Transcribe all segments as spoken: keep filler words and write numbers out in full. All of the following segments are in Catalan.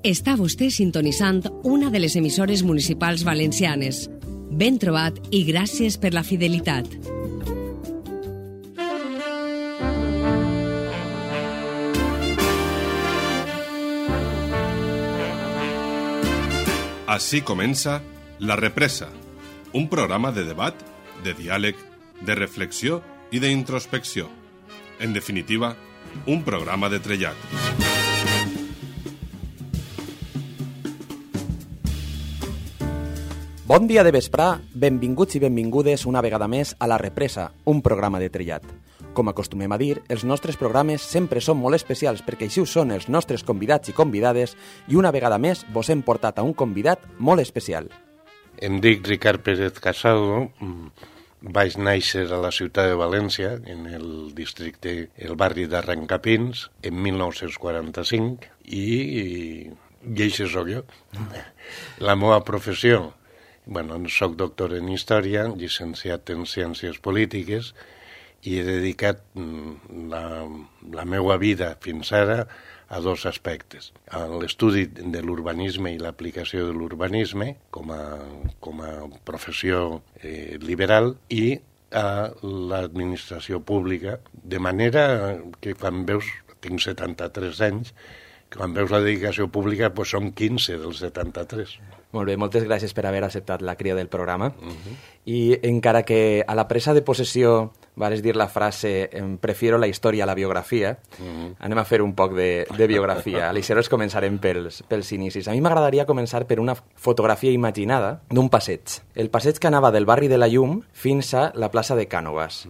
Està vostè sintonitzant una de les emissores municipals valencianes. Ben trobat i gràcies per la fidelitat. Així comença La Represa, un programa de debat, de diàleg, de reflexió i d'introspecció. En definitiva, un programa de trellat. Bon dia de vesprà, benvinguts i benvingudes una vegada més a La Represa, un programa de trellat. Com acostumem a dir, els nostres programes sempre són molt especials perquè així ho són els nostres convidats i convidades i una vegada més vos hem portat a un convidat molt especial. Em dic Ricard Pérez Casado, vaig néixer a la ciutat de València, en el districte, el barri d'Arrancapins, en mil nou-cents quaranta-cinc, i, i això soc jo. La meva professió, bueno, soc doctor en Història, llicenciat en Ciències Polítiques, i he dedicat la, la meva vida fins ara a dos aspectes. A l'estudi de l'urbanisme i l'aplicació de l'urbanisme com a, com a professió eh, liberal i a l'administració pública, de manera que quan veus, tinc setanta-tres anys, quan veus la dedicació pública doncs són quinze dels setanta-tres. Molt bé, moltes gràcies per haver acceptat la crida del programa. Uh-huh. I encara que a la presa de possessió vares dir la frase «prefiero la història a la biografia», uh-huh. anem a fer un poc de, de biografia. Aleshores començarem pels, pels inicis. A mi m'agradaria començar per una fotografia imaginada d'un passeig. El passeig que anava del barri de la Llum fins a la plaça de Cànovas.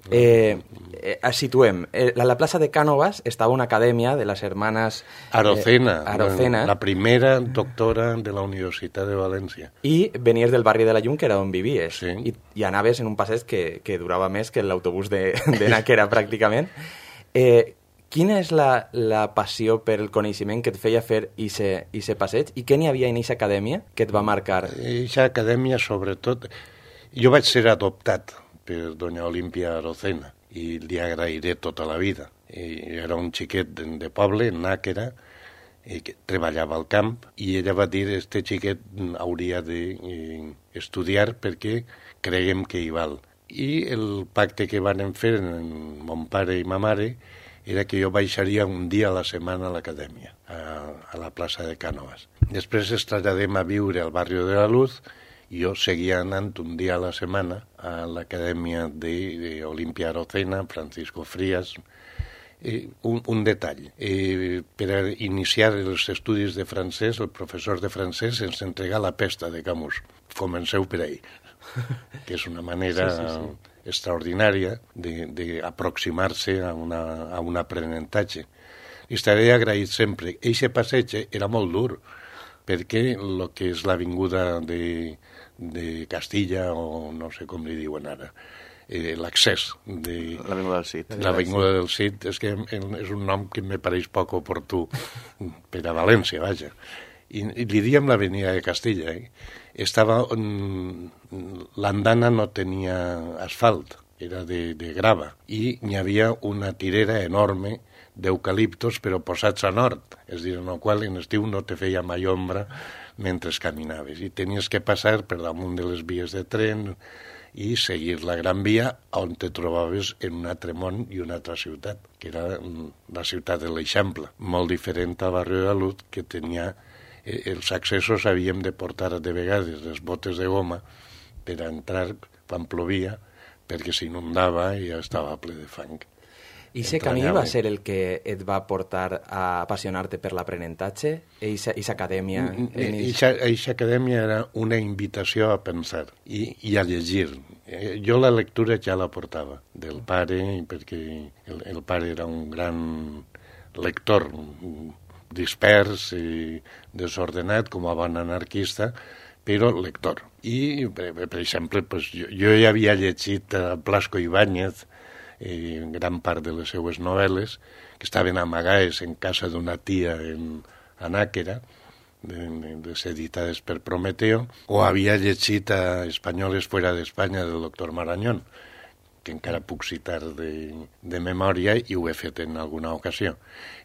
Eh, eh, situem. Eh, a la plaça de Cànovas estava una acadèmia de les hermanes Arocena, eh, Arocena, la primera doctora de la Universitat de València. I venies del barri de la Llum, que era on vivies, sí. I, i anaves en un passeig que, que durava més que l'autobús de, de Nàquera, pràcticament. Eh, quina és la, la passió per el coneixement que et feia fer aquest passeig i què n'hi havia en aquesta acadèmia que et va marcar? Aquesta acadèmia, sobretot, jo vaig ser adoptat per doña Olímpia Arocena i li agrairé tota la vida. I era un xiquet de, de poble, en Nàquera, que treballava al camp, i ella va dir que este xiquet hauria d'estudiar perquè creiem que hi val. I el pacte que van fer en mon pare i ma mare era que jo baixaria un dia a la setmana a l'acadèmia, a, a la plaça de Cànovas. Després es traslladem a viure al barri de la Luz. Jo seguia anant un dia a la setmana a l'acadèmia d'Olímpia Arocena, Francisco Frías. Eh, un, un detall. Eh, per iniciar els estudis de francès, el professor de francès ens entrega la pesta de Camus. Comenceu per ahí, que és una manera sí, sí, sí. extraordinària d'aproximar-se a, una, a un aprenentatge. I estaré agraït sempre. Eixe passeig era molt dur, perquè el que és l'avinguda de, de Castilla, o no sé com li diuen ara, eh, l'accés de... L'Avinguda del Cid. L'Avinguda del Cid, és que és un nom que me pareix poc oportú per a València, vaja. I, i li diem l'Avenida de Castilla, eh? Estava... L'andana no tenia asfalt, era de, de grava, i n'hi havia una tirera enorme d'eucaliptos però posats a nord, és a dir, en el qual en estiu no te feia mai ombra mentre caminaves i tenies que passar per damunt de les vies de tren i seguir la Gran Via on te trobaves en un altre món i una altra ciutat, que era la ciutat de l'Eixample, molt diferent al barri de la Luz, que tenia eh, els accessos havíem de portar de vegades les botes de goma per a entrar quan plovia perquè s'inundava i ja estava ple de fang. I aquest camí va ser el que et va portar a apassionar-te per l'aprenentatge? Eixa acadèmia? Eixa acadèmia era una invitació a pensar i, i a llegir. Jo la lectura ja la portava del pare, perquè el, el pare era un gran lector, dispers i desordenat, com a bon anarquista, però lector. I, per, per exemple, pues, jo, jo ja havia llegit a Blasco Ibáñez, Eh, gran part de les seues novel·les, que estaven amagades en casa d'una tia en, a Nàquera, de, de, editades per Prometeo, o havia llegit a Espanyoles fuera d'Espanya del doctor Marañón, que encara puc citar de, de memòria i ho he fet en alguna ocasió.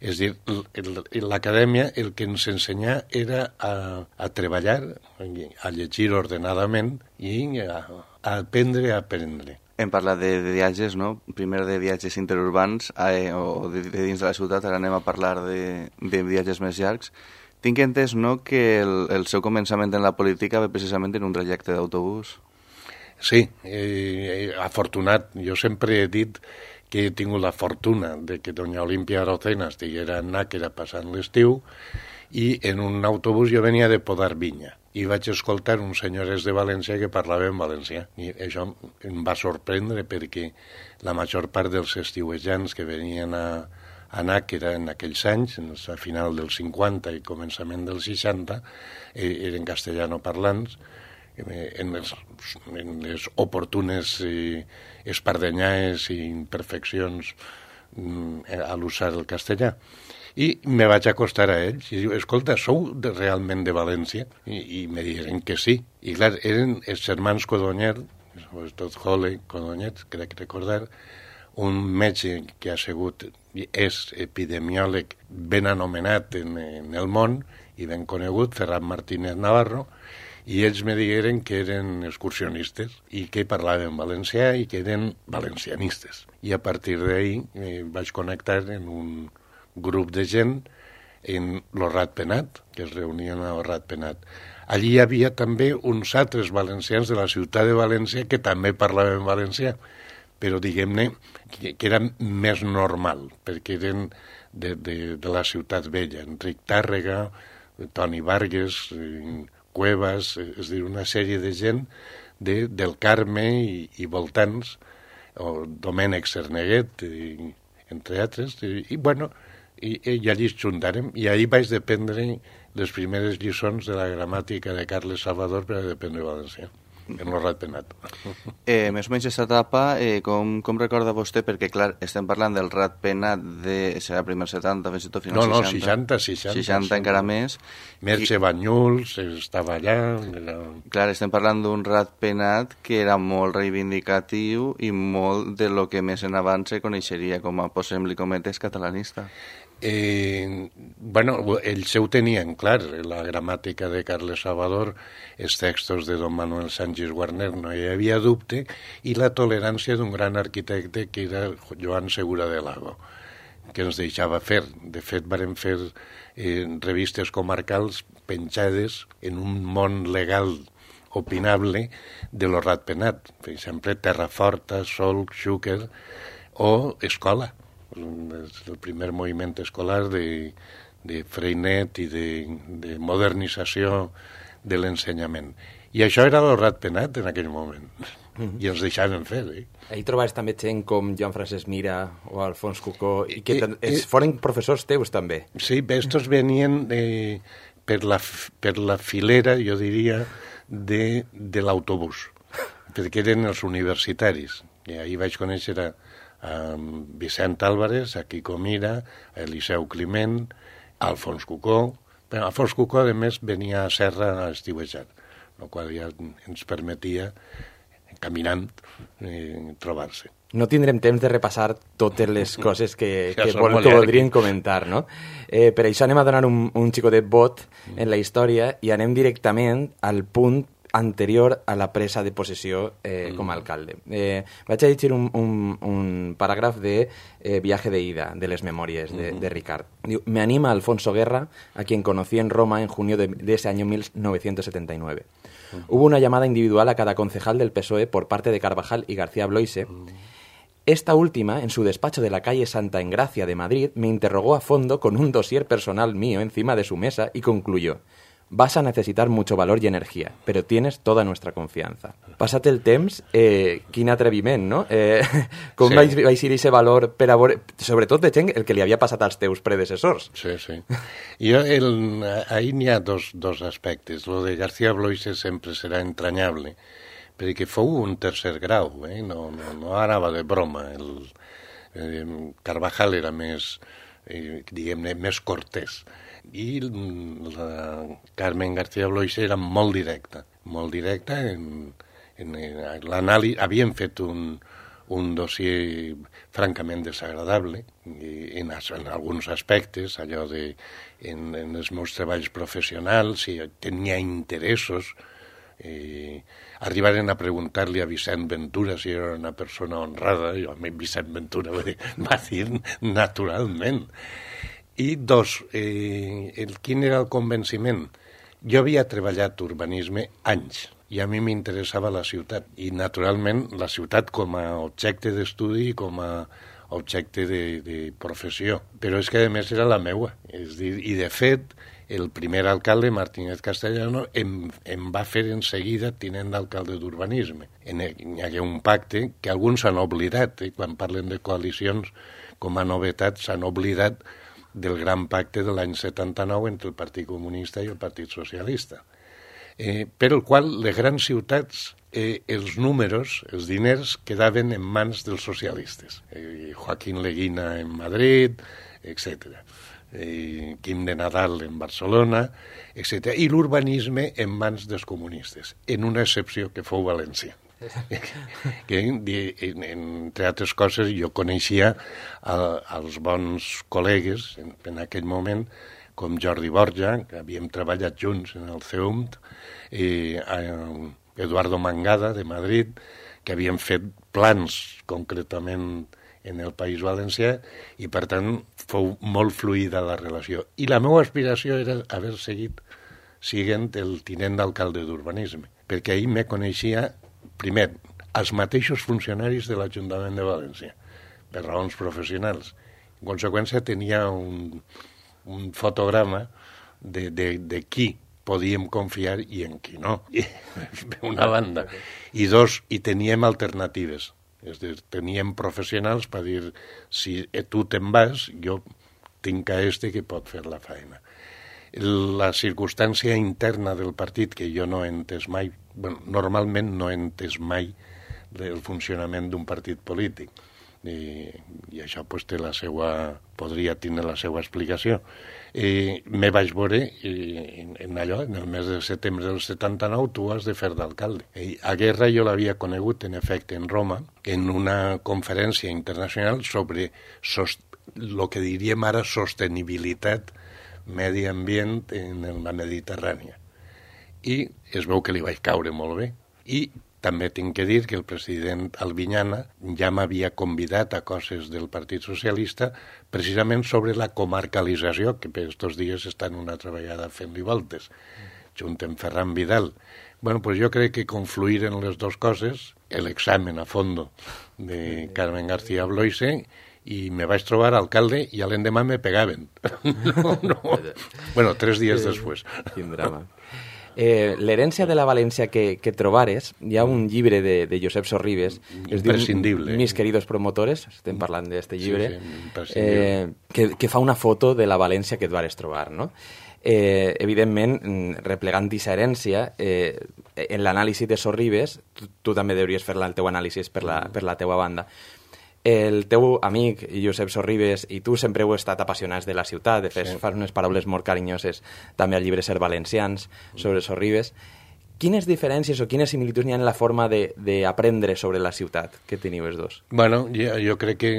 És a dir, l'acadèmia el que ens ensenya era a, a treballar, a llegir ordenadament i a, a aprendre a aprendre. Hem parlat de, de viatges, no? Primer de viatges interurbans eh, o de, de dins de la ciutat, ara anem a parlar de, de viatges més llargs. Tinc entès, no?, que el, el seu començament en la política ve precisament en un trajecte d'autobús. Sí, eh, afortunat. Jo sempre he dit que he tingut la fortuna de que doña Olimpia Arocena estiguera en Nàquera passant l'estiu i en un autobús jo venia de Podar Vinya i vaig escoltar uns senyores de València que parlaven valencià. I això em va sorprendre perquè la major part dels estiuejants que venien a, a Nàquera en aquells anys, a final dels cinquanta i començament dels seixanta, eh, eren castellanoparlants, en les, en les oportunes eh, espardenyaes i imperfeccions mm, a l'usar el castellà. I me vaig acostar a ells i diu, escolta, sou de, realment de València? I, i me diuen que sí. I clar, eren els germans Codonyer, sobretot Jole Codonyer, crec recordar, un metge que ha sigut, és epidemiòleg ben anomenat en, en el món i ben conegut, Ferran Martínez Navarro, i ells me digueren que eren excursionistes i que parlaven valencià i que eren valencianistes. I a partir d'ahí eh, vaig connectar en un grup de gent en lo Ratpenat, que es reunien a Ratpenat. Allí hi havia també uns altres valencians de la ciutat de València que també parlaven valencià, però diguem-ne que, que era més normal, perquè eren de, de, de la ciutat vella. Enric Tàrrega, Toni Vargas, Cuevas, és a dir, una sèrie de gent de, del Carme i, i voltants, o Domènec Cerneguet, i, entre altres, i, i bueno, i, i allí ens juntàrem, i allí vaig dependre les primeres lliçons de la gramàtica de Carles Salvador per a dependre valencià, en el Ratpenat. Eh, més o menys aquesta etapa, eh, com, com recorda vostè? Perquè, clar, estem parlant del Ratpenat de... serà primer setanta, fins i tot final no, seixanta. No, seixanta, seixanta. seixanta encara més. Merche I... Banyuls estava allà. Era... Clar, estem parlant d'un Ratpenat que era molt reivindicatiu i molt de lo que més en avant se coneixeria com a, posem-li cometes, catalanista. Eh, bueno, ells ho tenien clar, la gramàtica de Carles Salvador, els textos de don Manuel Sánchez Guarner, no hi havia dubte, i la tolerància d'un gran arquitecte que era Joan Segura de Lago, que ens deixava fer. De fet, vàrem fer eh, revistes comarcals penjades en un món legal opinable de lo Ratpenat, per exemple, Terraforta, Solc, Xúquer o Escola, el primer moviment escolar de, de Freinet i de, de modernització de l'ensenyament. I això era el Ratpenat en aquell moment. Mm-hmm. I ens deixaven fer, eh? Ahí trobaves també gent com Joan Francesc Mira o Alfons Cucó, i que I, es, foren professors teus també. Sí, estos venien de, per, la, per la filera, jo diria, de, de l'autobús, perquè eren els universitaris. I ahir vaig conèixer a a Vicent Álvarez, a Quico Mira, a Eliseu Climent, a Alfons Cucó. Però Alfons Cucó, a més, venia a Serra a estiuejar, el qual ja ens permetia, caminant, eh, trobar-se. No tindrem temps de repassar totes les coses que, ja que, vol, que voldríem comentar, no? Eh, per això anem a donar un, un xicotet vot en la història i anem directament al punt anterior a la presa de possessió eh, com a alcalde. Eh, vaig a llegir un, un, un paràgraf de eh, Viaje de ida, de les memòries de, de Ricard. Diu, me anima Alfonso Guerra, a quien conocí en Roma en junio de, de ese año mil novecientos setenta y nueve. Uh-huh. Hubo una llamada individual a cada concejal del P S O E por parte de Carvajal y García Bloise. Uh-huh. Esta última, en su despacho de la calle Santa Engracia de Madrid, me interrogó a fondo con un dossier personal mío encima de su mesa y concluyó: vas a necesitar mucho valor y energía, pero tienes toda nuestra confianza. Passat el temps, eh, quin atreviment, no? Eh, com sí. vaig, vaig dir aquest valor per a veure, sobretot de gent el que li havia passat als teus predecessors. Sí, sí. Jo, el, ahí n'hi ha dos, dos aspectes. Lo de García Bloise sempre serà entranyable, perquè fou un tercer grau, eh? no, no, no anava de broma. El, eh, Carvajal era més, eh, diguem-ne, més cortés. I la Carmen García Bloise era molt directa, molt directa en, en, en l'anàlisi. Havien fet un, un dossier francament desagradable i, en, en alguns aspectes, allò de en, en els meus treballs professionals, si tenia interessos. Eh, arribaren a preguntar-li a Vicent Ventura si era una persona honrada, i a mi Vicent Ventura va dir, va dir naturalment. I dos, eh, el, quin era el convenciment? Jo havia treballat urbanisme anys, i a mi m'interessava la ciutat, i naturalment la ciutat com a objecte d'estudi, com a objecte de, de professió, però és que a més era la meua, és dir, i de fet el primer alcalde, Martínez Castellano, em, em va fer en seguida tinent d'alcalde d'urbanisme. Hi hagué un pacte que alguns s'han oblidat, eh? Quan parlen de coalicions com a novetat s'han oblidat del gran pacte de l'any setanta-nou entre el Partit Comunista i el Partit Socialista, eh, per el qual les grans ciutats, eh, els números, els diners, quedaven en mans dels socialistes. Eh, Joaquín Leguina en Madrid, etcètera. Eh, Quim de Nadal en Barcelona, etcètera. I l'urbanisme en mans dels comunistes, en una excepció que fou València. Que, en, entre altres coses, jo coneixia a, als bons col·legues en, en aquell moment, com Jordi Borja, que havíem treballat junts en el C E U M T, i a Eduardo Mangada, de Madrid, que havien fet plans concretament en el País Valencià, i per tant fou molt fluida la relació. I la meva aspiració era haver seguit siguent el tinent d'alcalde d'urbanisme, perquè ahir me coneixia primer, els mateixos funcionaris de l'Ajuntament de València, per raons professionals. En conseqüència, tenia un, un fotograma de, de, de qui podíem confiar i en qui no. I, una banda. I dos, i teníem alternatives. És dir, teníem professionals per dir, si tu te'n vas, jo tinc a este que pot fer la feina. La circumstància interna del partit, que jo no he entès mai, bueno, normalment no he entès mai el funcionament d'un partit polític, i, i això pues, té la seva, podria tenir la seva explicació. I me vaig veure i, en allò, en el mes de setembre del setanta-nou, tu has de fer d'alcalde. I a Guerra jo l'havia conegut, en efecte, en Roma, en una conferència internacional sobre el que diríem ara sostenibilitat medi ambient en la Mediterrània. I es veu que li vaig caure molt bé. I també tinc que dir que el president Albinyana ja m'havia convidat a coses del Partit Socialista precisament sobre la comarcalització, que per estos dies estan una altra vegada fent-li voltes, junt amb Ferran Vidal. Bueno, pues jo crec que confluïren les dues coses, l'examen a fondo de Carmen García Bloise, i me vaig trobar alcalde i a l'endemà me pegaven. No, no. Bueno, tres dies després. Quin drama. Eh, L'herència de la València que, que trobares, hi ha un llibre de, de Josep Sorribes, es diu Mis queridos promotores, estem parlant d'aquest llibre, sí, sí, eh, que, que fa una foto de la València que et vares trobar, no? Eh, evidentment, replegant aquesta herència, eh, en l'anàlisi de Sorribes, tu, tu també hauries fer el teu anàlisi per la, per la teua banda. El teu amic, Josep Sorribes, i tu sempre heu estat apassionats de la ciutat, de fet, sí. Fas unes paraules molt carinyoses també al llibre Ser Valencians, sobre Sorribes. Quines diferències o quines similituds hi ha en la forma d'aprendre sobre la ciutat que teniu els dos? Bueno, jo, jo crec que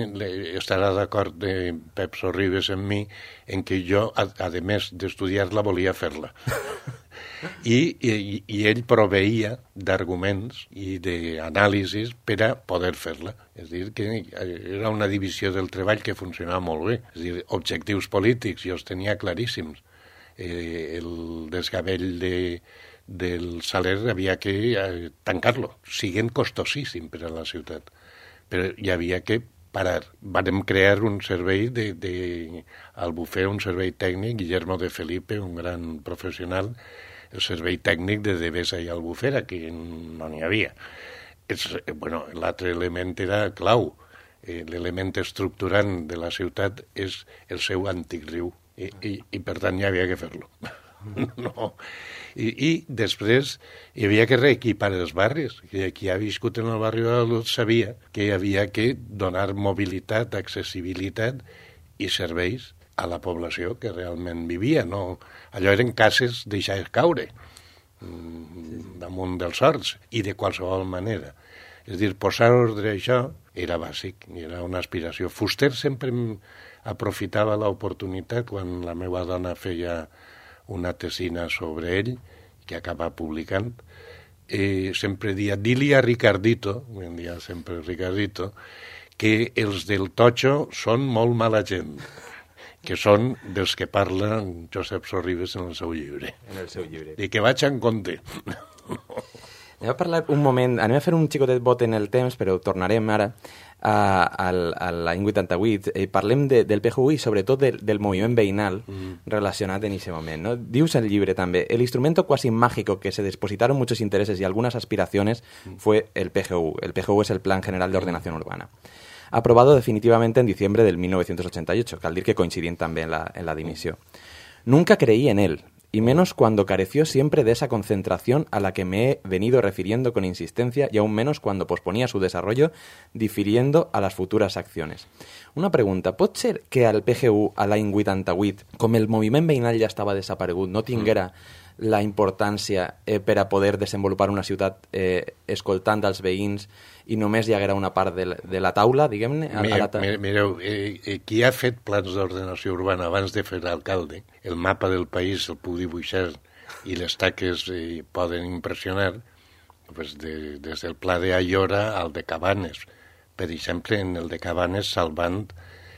estarà d'acord de Pep Sorribes amb mi en que jo, a, a més d'estudiar-la, volia fer-la. I, i, i ell proveïa d'arguments i d'anàlisis per a poder fer-la. És a dir, que era una divisió del treball que funcionava molt bé. És a dir, objectius polítics jo els tenia claríssims. Eh, el desgavell de, del Saler havia que eh, tancar-lo, siguent costosíssim per a la ciutat. Però hi havia que parar. Vam crear un servei de, de, al bufet, un servei tècnic, Guillermo de Felipe, un gran professional, el servei tècnic de Devesa i Albufera, que no n'hi havia. Bueno, l'altre element era clau. Eh, L'element estructurant de la ciutat és el seu antic riu, i, i, i per tant hi havia que fer-lo. No. I, I després hi havia que reequipar els barris. Qui ha viscut en el barri de la Luz sabia que hi havia que donar mobilitat, accessibilitat i serveis a la població que realment vivia. No? Allò eren cases deixades caure damunt dels horts i de qualsevol manera. És a dir, posar ordre a això era bàsic, era una aspiració. Fuster sempre aprofitava l'oportunitat quan la meva dona feia una tesina sobre ell, que acaba publicant, eh, sempre dia, di-li a Ricardito, em dia sempre Ricardito, que els del Totxo són molt mala gent, que són dels que parla Josep Sorribes en el seu llibre. En el seu llibre. I que vaig en compte. Anem a parlar un moment, anem a fer un xicotet bot en el temps, però tornarem ara a, a, a l'any vuitanta-vuit. Eh, parlem de, del P G U i sobretot de, del moviment veïnal mm. relacionat en aquest moment, ¿no? Dius el llibre també, el instrumento quasi mágico que se depositaron muchos intereses y algunas aspiraciones mm. fue el P G U. El P G U es el Plan General de Ordenación Urbana. Aprobado definitivamente en diciembre del mil novecientos ochenta y ocho, cal dir que coincidien també en la, en la dimissió. Nunca creí en él, y menos cuando careció siempre de esa concentración a la que me he venido refiriendo con insistencia y aún menos cuando posponía su desarrollo difiriendo a las futuras acciones. Una pregunta, pot ser que al P G U, a l'any vuitanta-vuit, com el moviment veïnal ja estava desaparegut, no tinguera la importància eh, per a poder desenvolupar una ciutat eh, escoltant als veïns i només hi haguera una part de la, de la taula, diguem-ne? Mireu, mireu eh, eh, qui ha fet plans d'ordenació urbana abans de fer l'alcalde, el mapa del país el puc dibuixar i les taques eh, poden impressionar, pues de, des del pla d'Aiora al de Cabanes. Per exemple, en el de Cabanes salvant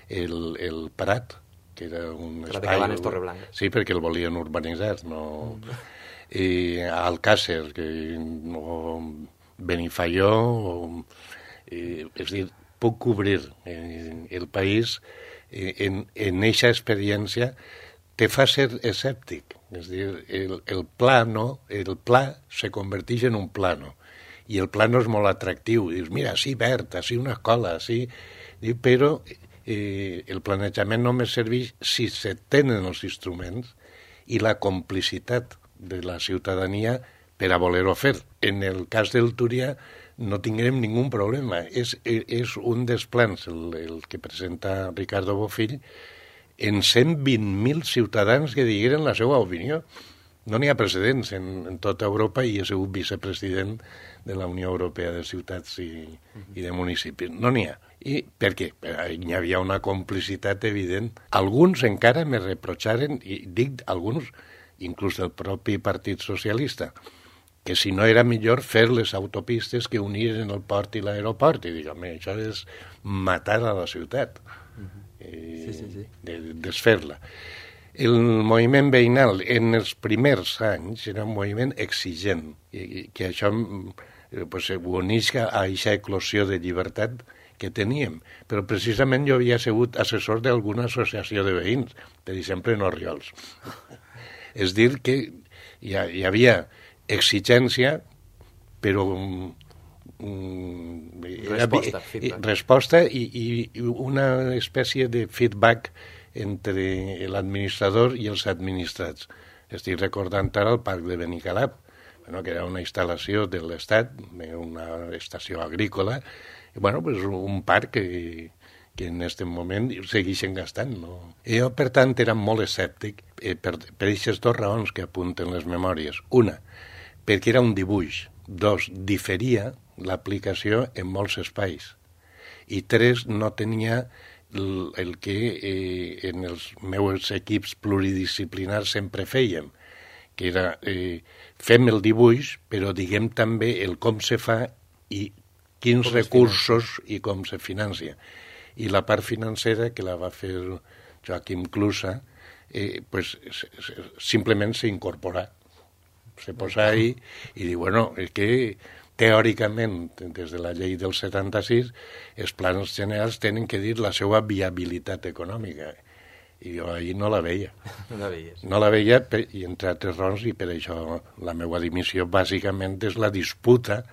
el, el Prat, que era un Prat espai... de Cabanes, Torreblanca. Sí, perquè el volien urbanitzar, no... I Alcàsser, que... o Benifaió, o... Eh, és dir, puc cobrir eh, el país eh, en, en eixa experiència te fa ser escèptic. És dir, el, el plano, el pla se converteix en un plano. I el plano és molt atractiu. Dius, mira, sí, verd, així una escola, sí... Però eh, el planejament només serveix si se tenen els instruments i la complicitat de la ciutadania per a voler-ho fer. En el cas del Túria no tinguem ningú problema. És, és un dels plans, el, el que presenta Ricardo Bofill, en cent vint mil ciutadans que digueren la seva opinió. No n'hi ha precedents en, en tota Europa i és un vicepresident de la Unió Europea de Ciutats i, i de Municipis. No n'hi ha. I per què? Hi havia una complicitat evident. Alguns encara me reprocharen, i dic alguns, inclús del propi Partit Socialista, que si no era millor fer les autopistes que uniren el port i l'aeroport. I dic, home, això és matar a la ciutat. Uh-huh. eh, sí, sí, sí. De, desfer-la. El moviment veïnal en els primers anys era un moviment exigent, i que això pues, uneix a aquesta eclosió de llibertat que teníem. Però precisament jo havia sigut assessor d'alguna associació de veïns, per exemple en Orriols. És dir, que hi, ha, hi havia exigència, però um, um, resposta, era, resposta i, i una espècie de feedback entre l'administrador i els administrats. Estic recordant ara el parc de Benicalap, bueno, que era una instal·lació de l'Estat, una estació agrícola, i bueno, pues un parc que, que en aquest moment segueixen gastant. No? Jo, per tant, era molt escèptic eh, per, per aquestes dues raons que apunten les memòries. Una, perquè era un dibuix. Dos, diferia l'aplicació en molts espais. I tres, no tenia el, el que eh, en els meus equips pluridisciplinars sempre fèiem, que era eh, fem el dibuix, però diguem també el com se fa i quins recursos i com se financia. I la part financera, que la va fer Joaquim Clusa, eh, pues, simplement s'incorpora. Se posa ahí i diu, bueno, és que teòricament, des de la llei del setanta-sis, els plans generals tenen que dir la seva viabilitat econòmica. I jo ahir no la veia. No la veies. No la veia, per, i entre altres raons, i per això la meva dimissió bàsicament és la disputa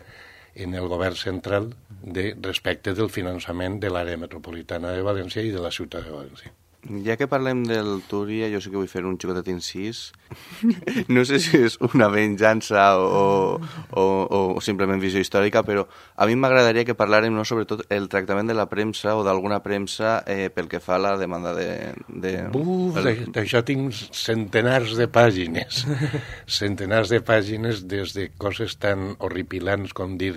en el govern central de respecte del finançament de l'àrea metropolitana de València i de la ciutat de València. Ja que parlem del Túria, jo sí que vull fer un xicotet incís. No sé si és una venjança o, o, o simplement visió històrica, però a mi m'agradaria que parlàrem no, sobretot el tractament de la premsa o d'alguna premsa eh, pel que fa a la demanda de... de Buf, el... d'això tinc centenars de pàgines. Centenars de pàgines des de coses tan horripilants com dir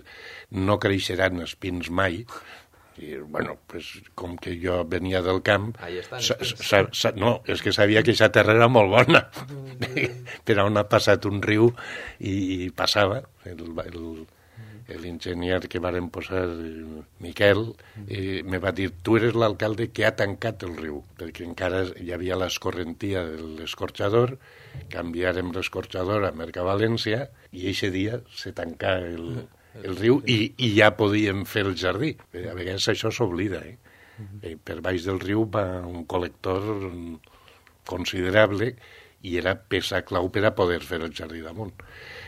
no creixeran espins mai, I, bueno, pues, com que jo venia del camp... Ahí estan. Sa, sa, sa, no, és que sabia que aquesta terra era molt bona. Per on ha passat un riu i, i passava. El, el, l'enginyer que varen posar, Miquel, eh, me va dir, tu eres l'alcalde que ha tancat el riu, perquè encara hi havia l'escorrentia de l'escorxador, canviarem l'escorxador a Mercavalència i eixe dia se tancà el... el riu i, i ja podíem fer el jardí. A vegades això s'oblida. Eh? Eh, per baix del riu va un col·lector considerable i era peça clau per a poder fer el jardí damunt.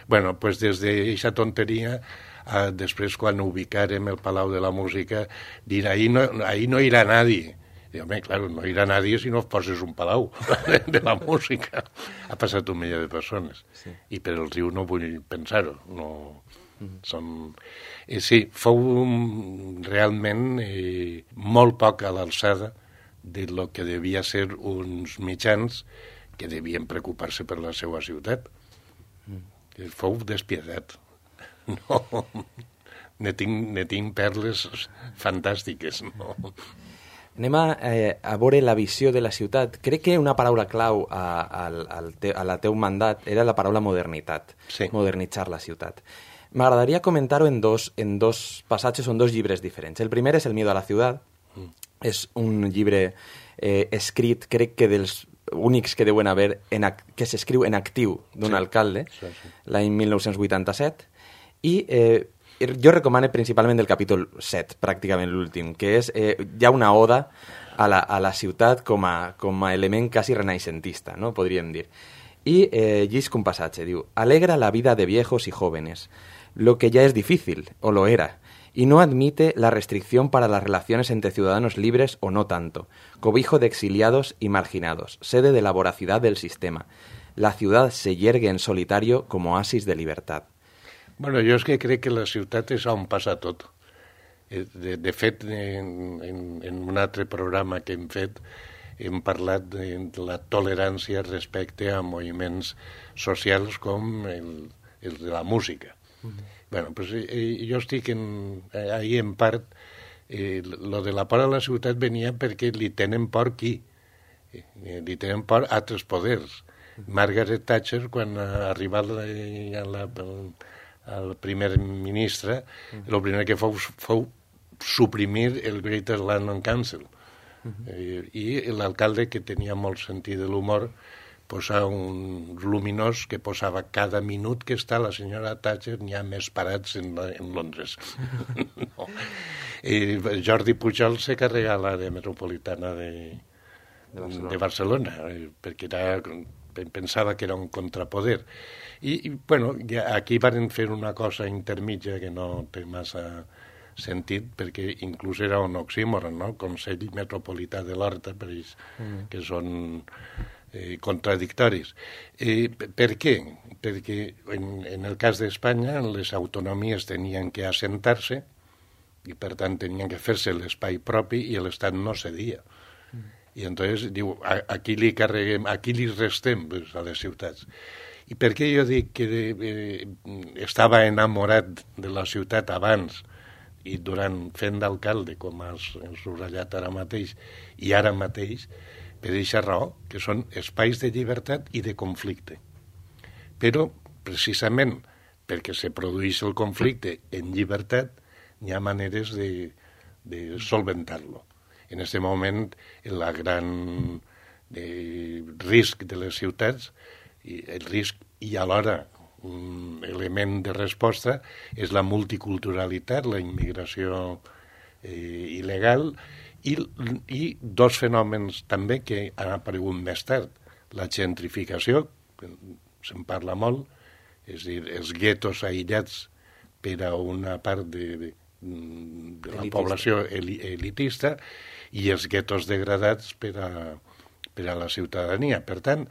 Bueno, pues des d'aquesta tonteria, eh, després quan ubicarem el Palau de la Música, dir, ahí no, ahí no irà nadie. I, home, claro, no irà nadie si no poses un palau de la música. Ha passat un milió de persones. Sí. I per el riu no vull pensar-ho, no... Som... Eh, sí, fou realment eh, molt poc a l'alçada de lo que devia ser uns mitjans que devien preocupar-se per la seva ciutat. Mm. Fou despietat. No, ne tinc, ne tinc perles fantàstiques, no? Anem a, eh, a veure la visió de la ciutat. Crec que una paraula clau a, a, a, te, a la teu mandat era la paraula modernitat, sí. Modernitzar la ciutat. M'agradaria comentar-ho en dos, en dos passatges o en dos llibres diferents. El primer és El miedo a la ciudad. Mm. És un llibre eh, escrit, crec que dels únics que deuen haver, en, que s'escriu en actiu d'un sí. alcalde, sí, sí. l'any mil nou-cents vuitanta-set, i eh, jo recomano principalment el capítol set, pràcticament l'últim, que és eh, ja una oda a la, a la ciutat com a, com a element quasi renaixentista, no? Podríem dir. I eh, llisc un passatge, diu: «Alegra la vida de viejos y jóvenes, lo que ya es difícil, o lo era, y no admite la restricción para las relaciones entre ciudadanos libres o no tanto, cobijo de exiliados y marginados, sede de la voracidad del sistema. La ciudad se yergue en solitario como oasis de libertad». Bueno, jo és que crec que la ciutat és on passa tot. De, de fet, en, en, en un altre programa que hem fet, hem parlat de la tolerància respecte a moviments socials com el, el de la música. Uh-huh. Bueno, pues, eh, jo estic en, eh, ahí en part, eh, lo de la por a la ciutat venia perquè li tenen por qui? Eh, li tenen por altres poders. Uh-huh. Margaret Thatcher, quan ha arribat la, a la, el primer ministre, el uh-huh. primer que fou, fou suprimir el Greater London Council. Uh-huh. eh, I l'alcalde, que tenia molt sentit de l'humor, posar un luminós que posava cada minut que està la senyora Thatcher n'hi ha més parats en, en Londres. No. I Jordi Pujol se carrega l'àrea metropolitana de, de Barcelona, de Barcelona eh, perquè era, pensava que era un contrapoder. I, i bueno, ja aquí van fer una cosa intermitja que no té massa sentit, perquè inclús era un oxímoron, no? Consell Metropolità de l'Horta, per ells, mm. que són eh, contradictoris. Eh, per què? Perquè en, en el cas d'Espanya les autonomies tenien que assentar-se i per tant tenien que fer-se l'espai propi i l'Estat no cedia. Mm. I entonces diu, a, aquí li carreguem, aquí li restem pues, a les ciutats. I per què jo dic que eh, estava enamorat de la ciutat abans i durant fent d'alcalde, com has subratllat ara mateix, i ara mateix, per aquesta raó, que són espais de llibertat i de conflicte. Però, precisament, perquè se produeix el conflicte en llibertat, hi ha maneres de, de solventar-lo. En aquest moment, el gran de risc de les ciutats, el risc i alhora un element de resposta és la multiculturalitat, la immigració eh, il·legal i, i dos fenòmens també que han aparegut més tard. La gentrificació, que se'n parla molt, és a dir, els guetos aïllats per a una part de, de, de la elitista. Població elitista i els guetos degradats per a, per a la ciutadania. Per tant,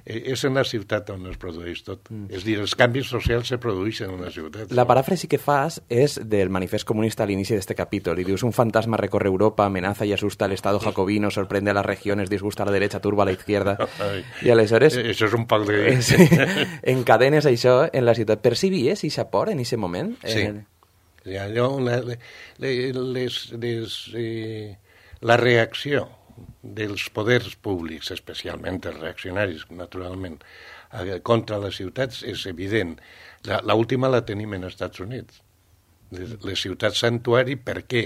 és en la ciutat on es produeix tot. Mm. És a dir, els canvis socials se produeixen en la ciutat. La paràfrasi que fas és del manifest comunista a l'inici d'este capítol. I dius, un fantasma recorre Europa, amenaza y asusta al Estado jacobino, sorprende a las regiones, disgusta a la derecha, turba a la izquierda. Ai, I aleshores... Això és un poc de... Sí, encadenes això en la ciutat. Percibies eixa por en eixe moment? Sí. En... Allò, la, les, les, eh, la reacció dels poders públics, especialment els reaccionaris, naturalment, contra les ciutats és evident. L'última la tenim en Estats Units. Les, les ciutats santuari, per què?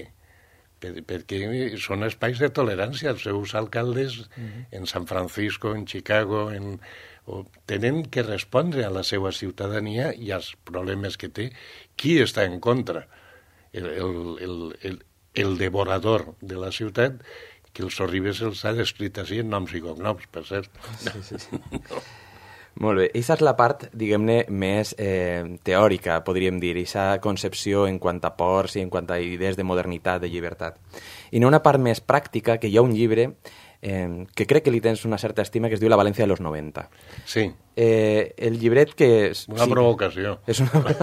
Per, perquè són espais de tolerància. Els seus alcaldes uh-huh. en San Francisco, en Chicago, en, o, tenen que respondre a la seva ciutadania i als problemes que té. Qui està en contra? El, el, el, el, el devorador de la ciutat, que els Sorribes els ha descrit així en noms i cognoms, per cert. Sí, sí, sí. Molt bé, aquesta és la part, diguem-ne, més eh, teòrica, podríem dir, aquesta concepció en quant a ports i en quant a idees de modernitat, de llibertat. I no una part més pràctica, que hi ha un llibre eh, que crec que li tens una certa estima, que es diu La València de los noventa. Sí. Eh, el llibret que... Una sí, provocació. És una...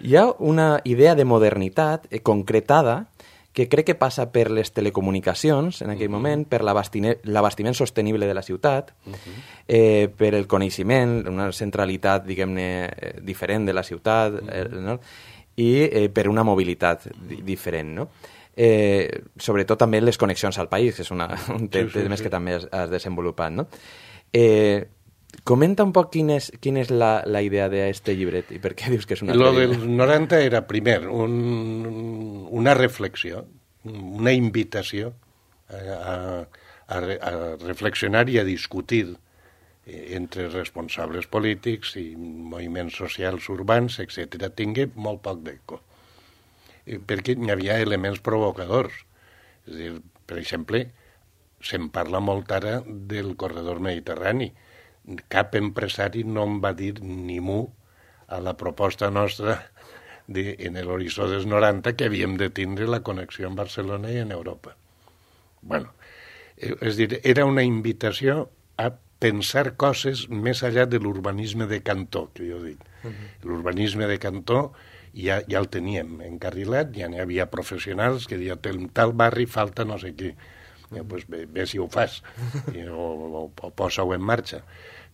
Hi ha una idea de modernitat eh, concretada que crec que passa per les telecomunicacions en aquell uh-huh. moment, per l'abastiment sostenible de la ciutat, uh-huh. eh, per el coneixement, una centralitat, diguem-ne, eh, diferent de la ciutat, uh-huh. eh, no? I eh, per una mobilitat di diferent, no? Eh, sobretot també les connexions al país, que és una, un tema sí, sí, sí. que també has, has desenvolupat, no? Eh, comenta un poc quina és, quina és la, la idea d'aquest llibret i per què dius que és una... Lo del noranta era, primer, un, una reflexió, una invitació a, a, a reflexionar i a discutir entre responsables polítics i moviments socials urbans, etcètera. Tingué molt poc d'eco, perquè hi havia elements provocadors. És a dir, per exemple, se'n parla molt ara del corredor mediterrani. Cap empresari no em va dir ni mu a la proposta nostra de, en l'horitzó dels noranta que havíem de tindre la connexió amb Barcelona i en Europa. Bueno, és dir, era una invitació a pensar coses més allà de l'urbanisme de cantó, que jo dic. Uh-huh. L'urbanisme de cantó ja, ja el teníem encarrilat, ja n'hi havia professionals que deien, tal barri falta no sé què. Ja, pues, bé, bé si ho fas, o, o, o posa-ho en marxa.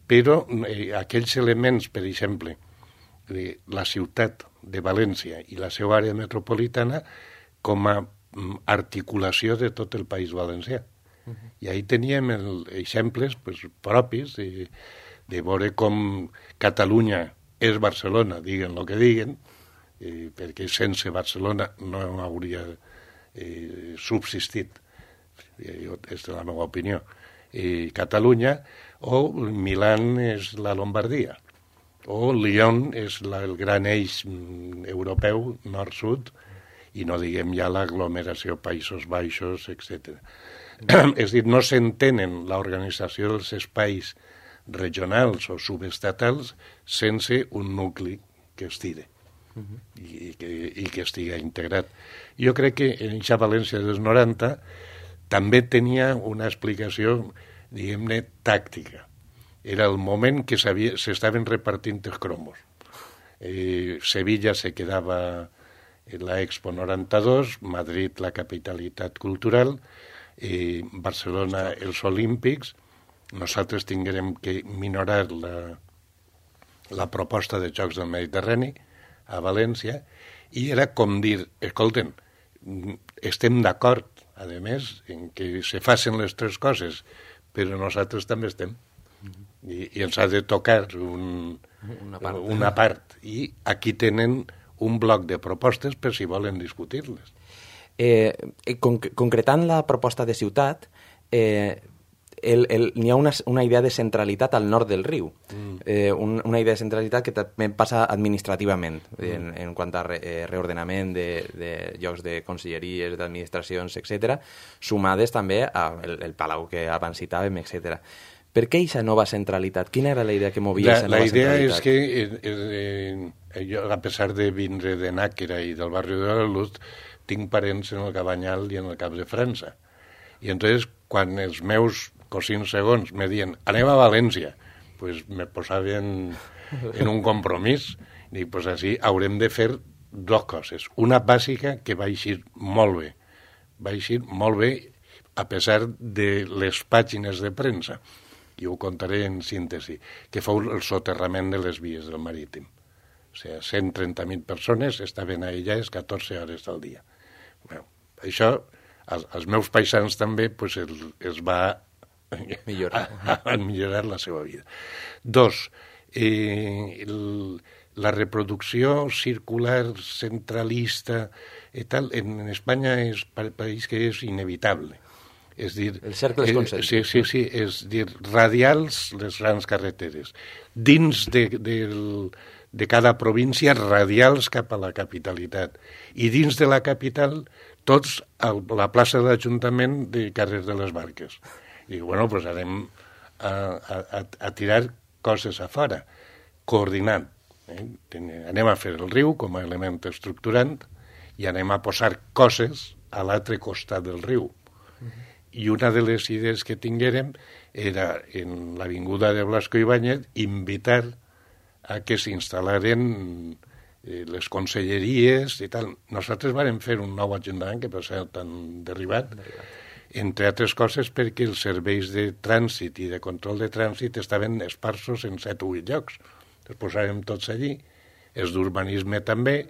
Però eh, aquells elements, per exemple, de la ciutat de València i la seva àrea metropolitana com a mm, articulació de tot el País Valencià. Uh-huh. I ahí teníem el, exemples pues, propis de, de veure com Catalunya és Barcelona, diguen el que diguen, eh, perquè sense Barcelona no hauria eh, subsistit. És la meva opinió. I Catalunya, o Milán és la Lombardia, o Lyon és la, el gran eix europeu, nord-sud, i no diguem ja l'aglomeració Països Baixos, etcètera. És dir, no s'entenen l'organització dels espais regionals o subestatals sense un nucli que estire uh-huh. i, que, i que estigui integrat. Jo crec que en aquesta València dels noranta també tenia una explicació, diguem-ne, tàctica. Era el moment que s'estaven repartint els cromos. Eh, Sevilla se quedava en la Expo noranta-dos, Madrid la capitalitat cultural, eh, Barcelona els Olímpics. Nosaltres tinguérem que minorar la, la proposta de Jocs del Mediterrani a València i era com dir, escolten, estem d'acord, a més, en que se facin les tres coses, però nosaltres també estem. I, i ens ha de tocar un, una, part. una part. I aquí tenen un bloc de propostes per si volen discutir-les. Eh, con, concretant la proposta de ciutat, eh, el, el, n'hi ha una, una idea de centralitat al nord del riu, mm. eh, un, una idea de centralitat que també passa administrativament, mm. en, en quant a re, eh, reordenament de, de llocs de conselleries, d'administracions, etcètera, sumades també al el palau que abans citàvem, etcètera. Per què aquesta nova centralitat? Quina era la idea que movia aquesta nova centralitat? La idea és que, eh, eh, jo, a pesar de vindre de Nàquera i del barri de la Luz, tinc parents en el Cabanyal i en el Cap de França. I entonces, quan els meus cosins segons me diuen, anem a València, pues me posaven en un compromís. Dic, pues així haurem de fer dues coses. Una bàsica que va eixir molt bé. Va eixir molt bé a pesar de les pàgines de premsa. I ho contaré en síntesi, que fou el soterrament de les vies del marítim. O sigui, cent trenta mil persones estaven aïllades catorze hores al dia. Bueno, això, als, als meus paisans també, pues, el, els va millorar. A, a millorar la seva vida. Dos, eh, el, la reproducció circular centralista i tal, en, en Espanya és per país que és inevitable. És dir, el cercle és concèntric. Sí, sí, sí, és dir, radials les grans carreteres. Dins de, de, de cada província, radials cap a la capitalitat. I dins de la capital, tots a la plaça de l'Ajuntament de carrer de les Barques. I, bueno, doncs anem a, a, a tirar coses a fora, coordinant. Eh? Anem a fer el riu com a element estructurant i anem a posar coses a l'altre costat del riu. I una de les idees que tinguérem era, en l'avinguda de Blasco Ibáñez, invitar a que s'instal·laren eh, les conselleries i tal. Nosaltres vam fer un nou ajuntament, que per cert han derribat, entre altres coses perquè els serveis de trànsit i de control de trànsit estaven esparsos en set o vuit llocs. Els posàrem tots allí, els d'urbanisme també,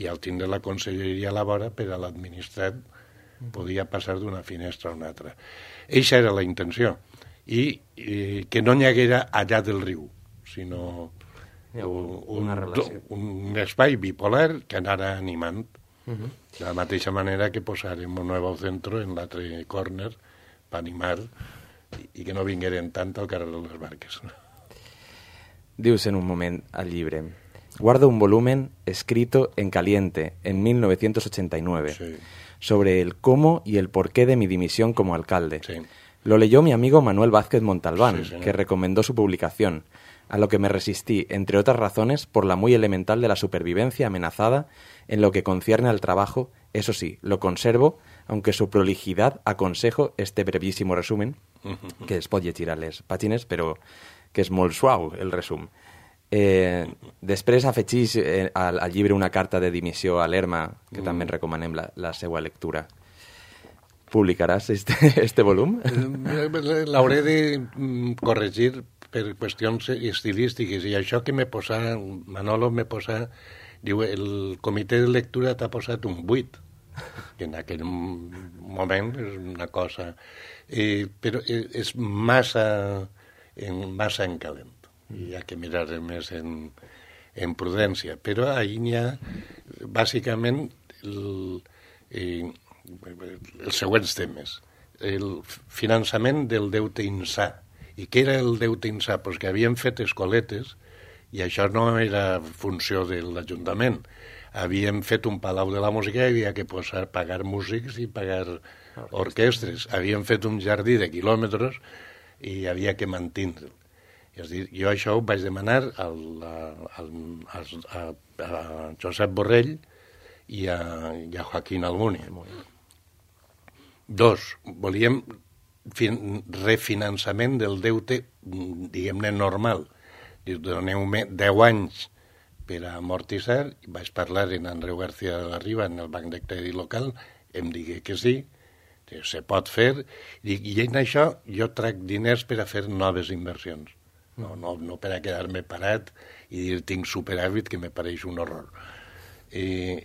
i al tindre la conselleria a la vora, per a l'administrat podia passar d'una finestra a una altra. Eixa era la intenció. I, i que no n'hi haguera allà del riu, sinó un, un, un espai bipolar que anara animant. Uh-huh. De la mateixa manera que posarem un nou centre en l'altre corner per animar i, i que no vingueren tant al carrer de les Barques. Dius en un moment al llibre: guardo un volumen escrito en caliente en mil novecientos ochenta y nueve. Sí. Sobre el cómo y el porqué de mi dimisión como alcalde. Sí. Lo leyó mi amigo Manuel Vázquez Montalbán, sí, que recomendó su publicación, a lo que me resistí, entre otras razones, por la muy elemental de la supervivencia amenazada en lo que concierne al trabajo. Eso sí, lo conservo, aunque su prolijidad aconsejo este brevísimo resumen, que es pot llegir a les pàgines, però que és molt suau, el resum. Eh, després afegís eh, al, al llibre una carta de dimissió a l'Erma, que mm. també en recomanem la, la seva lectura. Publicaràs este, este volum? L'hauré de corregir per qüestions estilístiques, i això que me posa, Manolo me posa, diu, el comitè de lectura t'ha posat un vuit, que en aquell moment és una cosa, eh, però és massa en, massa en calent. I hi ha que mirar més en, en prudència. Però ahir n'hi ha, bàsicament, el, eh, els següents temes. El finançament del deute insà. I què era el deute insà? Pues que havien fet escoletes, i això no era funció de l'Ajuntament. Havien fet un palau de la música i havia que posar, pagar músics i pagar orquestres. Havien fet un jardí de quilòmetres i havia que mantenir-lo. És dir, jo això ho vaig demanar al, al, al, a, a Josep Borrell i a, i a Joaquín Almunia. Dos, volíem fin, refinançament del deute, diguem-ne, normal. Doneu-me deu anys per a amortitzar. Vaig parlar en Andreu García de la Riba, en el Banc de Crèdit Local, em digué que sí, que se pot fer, i, i en això jo trac diners per a fer noves inversions. No, no, no per a quedar-me parat i dir tinc superàvit, que me pareix un horror. Eh,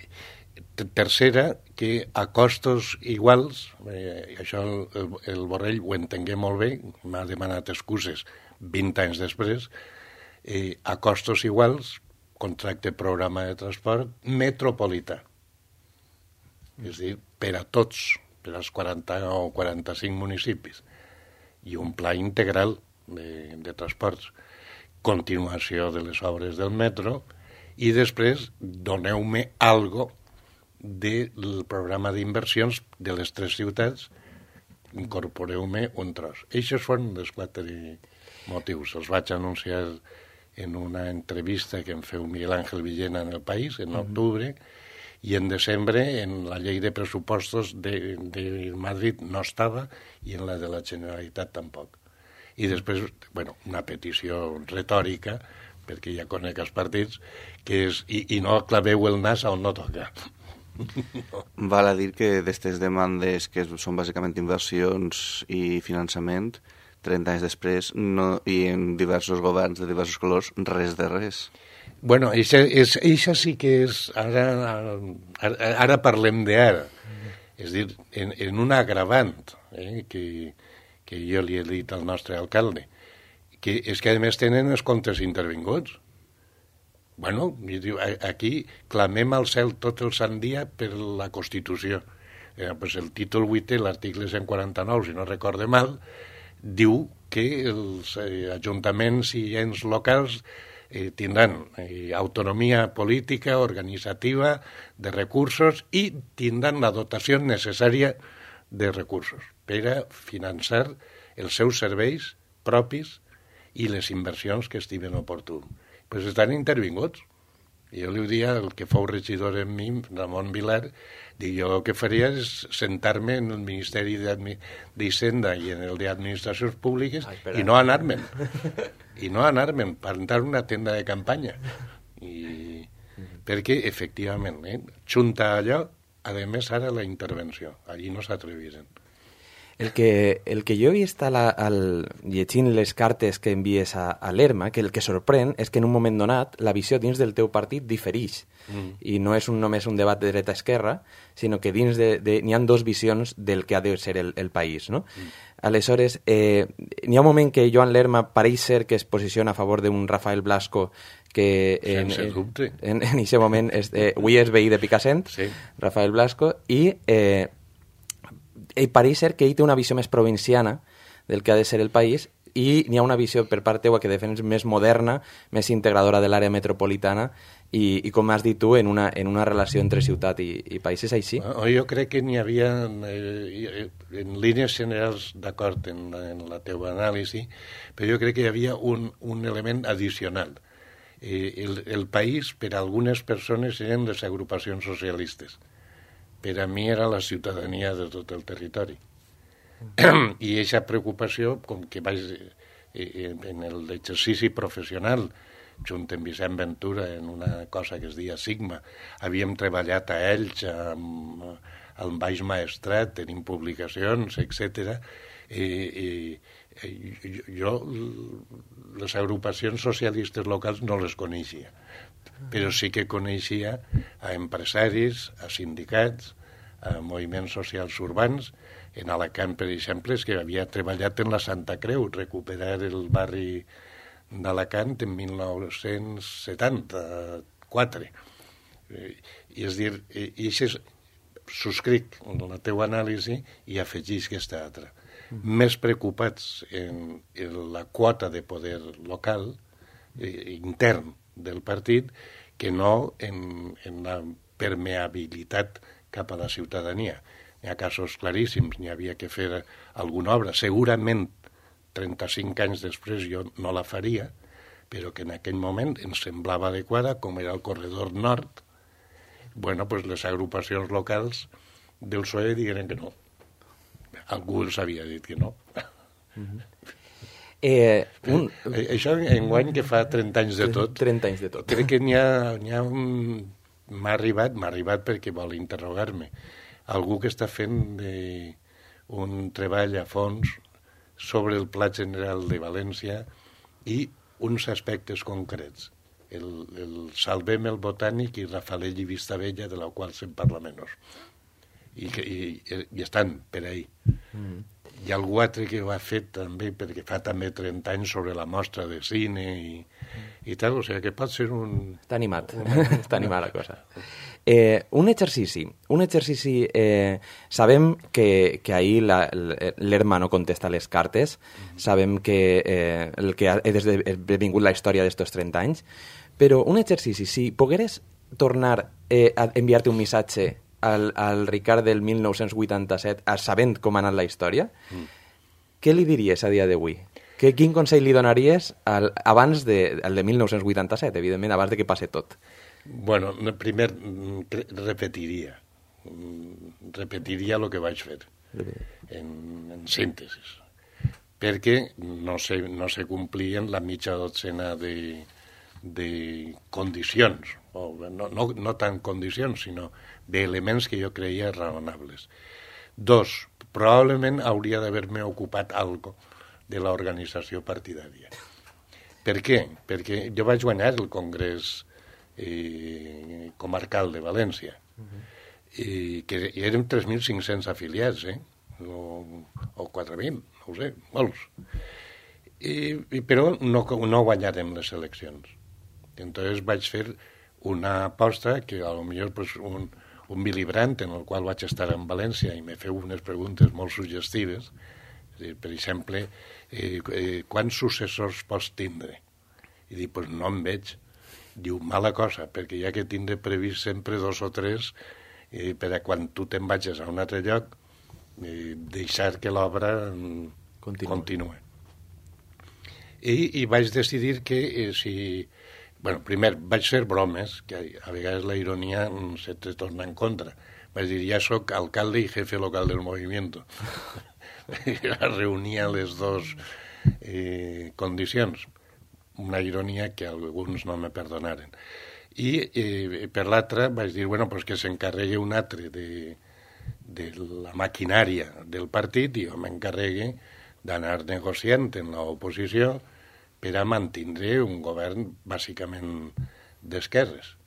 tercera, que a costos iguals, eh, això el, el Borrell ho entengué molt bé, m'ha demanat excuses vint anys després, eh, a costos iguals, contracte programa de transport metropolità. És a dir, per a tots, per als quaranta o quaranta-cinc municipis, i un pla integral De, de transports, continuació de les obres del metro, i després doneu-me algo del programa d'inversions de les tres ciutats, incorporeu-me un tros. Eixos foren els quatre motius. Els vaig anunciar en una entrevista que em feu Miguel Ángel Villena en El País, en octubre, i en desembre en la llei de pressupostos de, de Madrid no estava, i en la de la Generalitat tampoc. I després, bueno, una petició retòrica, perquè ja conec els partits, que és, i, i no claveu el nas on no toca. No. Val a dir que d'aquestes demandes, que són bàsicament inversions i finançament, trenta anys després, no, i en diversos governs de diversos colors, res de res. Bueno, això, és, això sí que és... Ara, ara, ara parlem d'ara. És a dir, en, en un agravant, eh, que, que jo li he dit al nostre alcalde, que és que a més tenen els comptes intervinguts. Bueno, aquí clamem al cel tot el sant dia per la Constitució. Eh, pues el títol vuitè, l'article cent quaranta-nou, si no recorde mal, diu que els eh, ajuntaments i ens locals eh, tindran eh, autonomia política, organitzativa, de recursos i tindran la dotació necessària de recursos per a finançar els seus serveis propis i les inversions que estimen oportú. Pues estan intervinguts. Jo li diria el que fou regidor en mi, Ramon Vilar, dic, jo el que faria és sentar-me en el Ministeri d'Hisenda i en el d'Administracions Públiques Ai, i no anar-me'n. I no anar-me'n, plantar una tenda de campanya. I... Perquè, efectivament, eh, junta allò, a més, ara la intervenció. Allí no s'atreviren. El que, el que jo he vist al, al, llegint les cartes que envies a, a l'Erma, que el que sorprèn és que en un moment donat la visió dins del teu partit diferix. Mm. I no és un, només un debat de dreta-esquerra, sinó que dins de, de, n'hi ha dos visions del que ha de ser el, el país. No? Mm. Aleshores, eh, n'hi ha un moment que Joan Lerma pareix ser que es posiciona a favor d'un Rafael Blasco que en, Sense dubte. En aquest moment és, eh, avui és veí de Picassent, sí. Rafael Blasco, i... Eh, ell pareix ser que ell té una visió més provinciana del que ha de ser el país i n'hi ha una visió per part teua que defens més moderna, més integradora de l'àrea metropolitana i, i com has dit tu, en una, en una relació entre ciutat i, i país. És així? Jo crec que n'hi havia, eh, en línies generals, d'acord en, en la teva anàlisi, però jo crec que hi havia un, un element addicional. Eh, el, el país, per a algunes persones, eren les agrupacions socialistes. Per a mi era la ciutadania de tot el territori. Mm. I aquesta preocupació, com que vaig eh, en l'exercici professional, junt amb Vicent Ventura, en una cosa que es deia Sigma, havíem treballat a Elx, amb, al Baix Maestrat, tenim publicacions, etcètera. Eh, eh, jo les agrupacions socialistes locals no les coneixia, però sí que coneixia a empresaris, a sindicats, a moviments socials urbans. En Alacant, per exemple, és que havia treballat en la Santa Creu, recuperar el barri d'Alacant en mil nou-cents setanta-quatre. I és dir, i això subscric la teva anàlisi i afegís aquesta altra. Mm. Més preocupats en, en la quota de poder local, eh, intern del partit, que no en, en la permeabilitat cap a la ciutadania. Hi ha casos claríssims, n'hi havia que fer alguna obra. Segurament, trenta-cinc anys després, jo no la faria, però que en aquell moment ens semblava adequada, com era el corredor nord. Bueno, pues les agrupacions locals del P S O E digueren que no. Algú els havia dit que no. Mm-hmm. Eh, un... Això enguany que fa trenta anys de tot. trenta anys de tot. Crec que n'hi ha, n'hi ha un... M'ha arribat, m'ha arribat perquè vol interrogar-me. Algú que està fent de... un treball a fons sobre el Pla General de València i uns aspectes concrets. El, el Salvem el Botànic i Rafalell i Vistabella, de la qual se'n parla menys. I, que, i, i estan per ahí. Mm. Hi ha algú altre que ho ha fet també, perquè fa també trenta anys, sobre la mostra de cine i, i tal, o sigui que pot ser un... Està animat, un... està animat la cosa. Eh, un exercici, un exercici, eh, sabem que, que ahir l'Erma no contesta les cartes, mm-hmm. sabem que eh, el que ha esdevingut la història d'estos trenta anys, però un exercici, si pogueres tornar eh, a enviar-te un missatge al, al Ricard del mil nou-cents vuitanta-set, sabent com ha anat la història, mm. què li diries a dia d'avui? Que, quin consell li donaries al, abans de, al de mil nou-cents vuitanta-set, evidentment, abans de que passi tot? Bueno, primer repetiria. Repetiria el que vaig fer, en, en síntesis. Perquè no se, no se complien la mitja dotzena de, de condicions, o no, no, no tant condicions, sinó d'elements que jo creia raonables. Dos, probablement hauria d'haver-me ocupat algo de l'organització partidària. Per què? Perquè jo vaig guanyar el Congrés eh, comarcal de València. Uh-huh. I que i érem tres mil cinc-cents afiliats, eh? O, o quatre mil, no ho sé, molts. I, i, però no, no guanyarem les eleccions. Entonces vaig fer una aposta que a lo millor pues, un, un Willy Brandt, en el qual vaig estar en València i me feu unes preguntes molt suggestives. És dir, per exemple, eh, eh, quants successors pots tindre? I dic, pues no en veig. Diu, mala cosa, perquè ja que tindré previst sempre dos o tres eh, per a quan tu te'n vagis a un altre lloc, eh, deixar que l'obra continue. continue. I, I vaig decidir que eh, si... Bueno, primer, vaig fer bromes, que a vegades la ironia se te torna en contra. Vaig dir, ja sóc alcalde i jefe local del movimiento. Reunia les dues eh, condicions. Una ironia que alguns no me perdonaren. I eh, per l'altra vaig dir, bueno, pues que s'encarregui un altre de, de la maquinària del partit i jo m'encarregue d'anar negociant en l'oposició per a mantindre un govern bàsicament d'esquerres.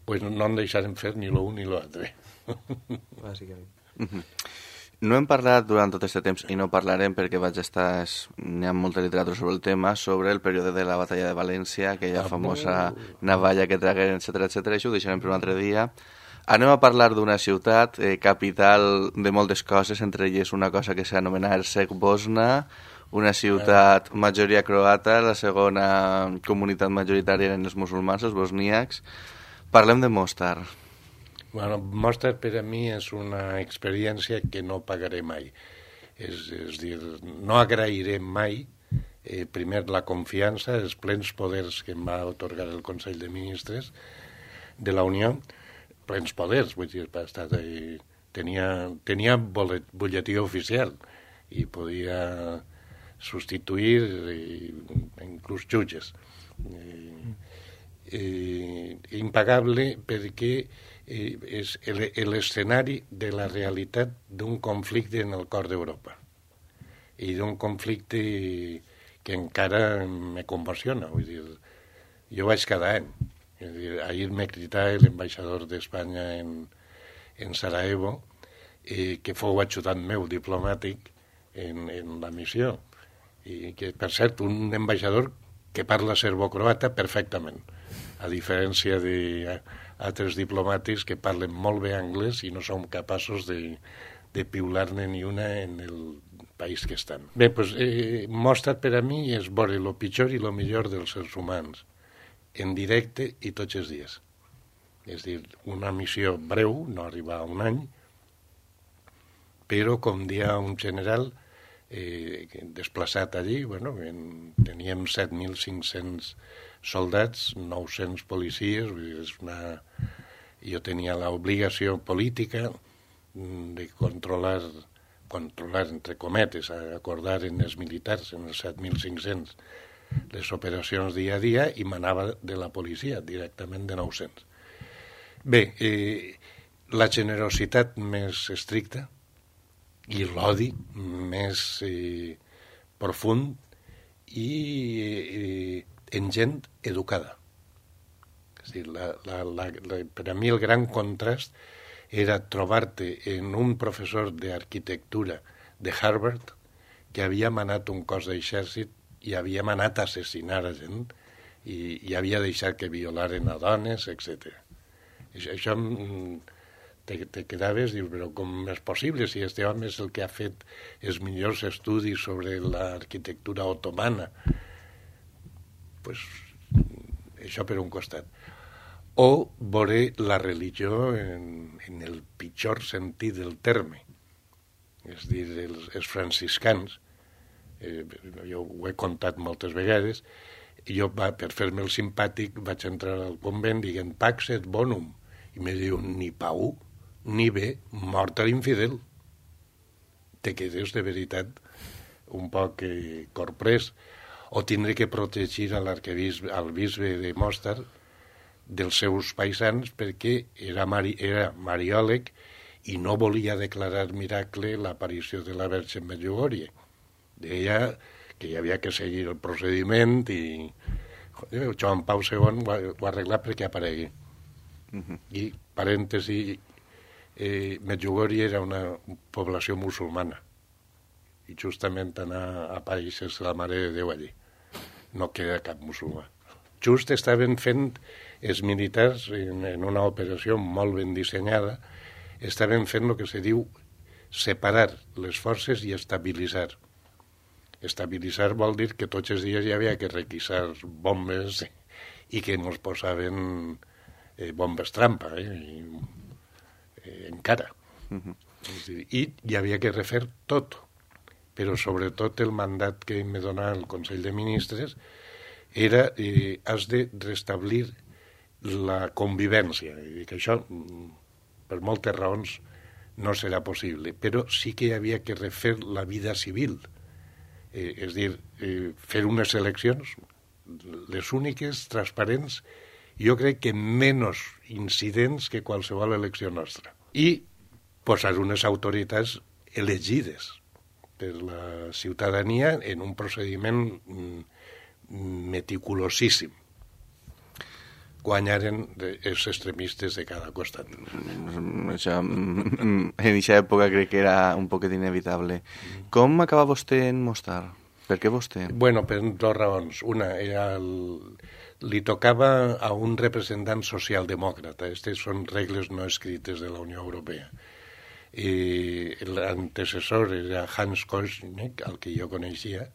Pues no en deixarem fer ni l'un ni l'altre. Bàsicament. Mm-hmm. No hem parlat durant tot aquest temps, i no parlarem perquè vaig estar... N'hi ha molta literatura sobre el tema, sobre el període de la batalla de València, aquella ah, famosa navalla que tragueren, etcètera, etcètera. Això ho deixarem per un altre dia. Anem a parlar d'una ciutat, eh, capital de moltes coses, entre elles una cosa que s'anomena Herceg Bosna, una ciutat majoria croata, la segona comunitat majoritària eren els musulmans, els bosníacs. Parlem de Mostar. Bueno, Mostar per a mi és una experiència que no pagaré mai. És, és dir, no agrairé mai, eh, primer, la confiança, els plens poders que em va atorgar el Consell de Ministres de la Unió, plens poders, vull dir, estar, eh, tenia, tenia butlletí oficial i podia substituir eh, inclús jutges. Eh, eh, impagable perquè eh, és l'escenari de la realitat d'un conflicte en el cor d'Europa i d'un conflicte que encara me convulsiona. Vull dir, jo vaig cada any. És dir, ahir me critava l'ambaixador d'Espanya en, en Sarajevo, eh, que fou ajudant meu diplomàtic en, en la missió. I que, per cert, un ambaixador que parla serbo-croata perfectament, a diferència d'altres diplomàtics que parlen molt bé anglès i no som capaços de, de piular-ne ni una en el país que estan. Bé, doncs, eh, Mostar per a mi és veure el pitjor i el millor dels éssers humans, en directe i tots els dies. És dir, una missió breu, no arriba a un any, però, com dia un general, eh, desplaçat allí, bueno, en, teníem set mil cinc-cents soldats, nou-cents policies, vull dir, és una... jo tenia l'obligació política de controlar, controlar, entre cometes, acordar en els militars, en els set mil cinc-cents, les operacions dia a dia, i manava de la policia, directament de nou-cents. Bé, eh, la generositat més estricta i l'odi més eh, profund i eh, en gent educada. És a dir, la, la, la, la, per a mi el gran contrast era trobar-te en un professor d'arquitectura de Harvard que havia manat un cos d'exèrcit i havia manat a assassinar a gent i, i havia deixat que violaren a dones, etcètera. Això, això te, te quedaves, dius, però com és possible si este home és el que ha fet els millors estudis sobre l'arquitectura otomana? Pues, això per un costat. O veure la religió en, en el pitjor sentit del terme. És a dir, els, els franciscans, eh, jo ho he contat moltes vegades, i jo, va, per fer-me el simpàtic, vaig entrar al convent dient Pax et Bonum, i me diu, ni pau, ni bé, mort a l'infidel. Te quedes de veritat un poc eh, corprès. O tindre que protegir a l'arquebisbe, al bisbe de Mostar dels seus paisans perquè era, mari, era mariòleg i no volia declarar miracle l'aparició de la Verge Medjugorje. Deia que hi havia que seguir el procediment i Joan Pau segon ho ha, ho ha arreglat perquè aparegui. Uh-huh. I, parèntesi, eh, Medjugorje era una població musulmana i justament anar a països la Mare de Déu allí. No queda cap musulmà. Just estaven fent els militars, en, en una operació molt ben dissenyada, estaven fent el que se diu separar les forces i estabilitzar. Estabilitzar vol dir que tots els dies hi havia que requisar bombes i que ens posaven eh, bombes trampa, eh, i, eh, encara. Uh-huh. I hi havia que refer tot, però sobretot el mandat que me donava el Consell de Ministres era eh, has de restablir la convivència. I dic, això, per moltes raons, no serà possible, però sí que hi havia que refer la vida civil. Eh, és dir, eh, fer unes eleccions, les úniques, transparents, jo crec que menys incidents que qualsevol elecció nostra. I posar unes autoritats elegides per la ciutadania en un procediment meticulosíssim. Guanyaren els extremistes de cada costat. Això, en aquesta època crec que era un poquet inevitable. Com acaba vostè en Mostar? Per què vostè? Bueno, per dues raons. Una, era el... li tocava a un representant socialdemòcrata. Aquestes són regles no escrites de la Unió Europea. I l'antecessor era Hans Koschnick, el que jo coneixia,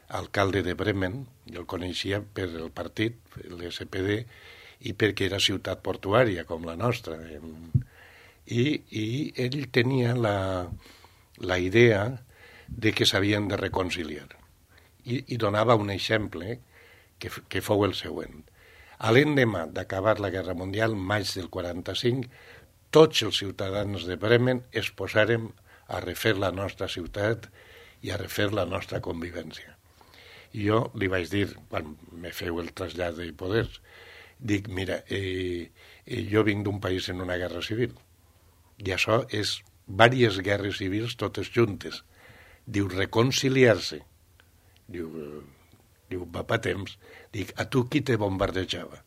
alcalde de Bremen, jo el coneixia per el partit, l'S P D, i perquè era ciutat portuària, com la nostra. I, i ell tenia la, la idea de que s'havien de reconciliar. I, i donava un exemple que, que fou el següent. A l'endemà d'acabar la Guerra Mundial, maig del quaranta-cinc, tots els ciutadans de Bremen es posàrem a refer la nostra ciutat i a refer la nostra convivència. I jo li vaig dir, quan me feu el trasllat de poders, dic, mira, eh, eh, jo vinc d'un país en una guerra civil, i això és diverses guerres civils totes juntes. Diu, reconciliar-se. Diu, diu, va pa temps. Dic, a tu qui te bombardejava?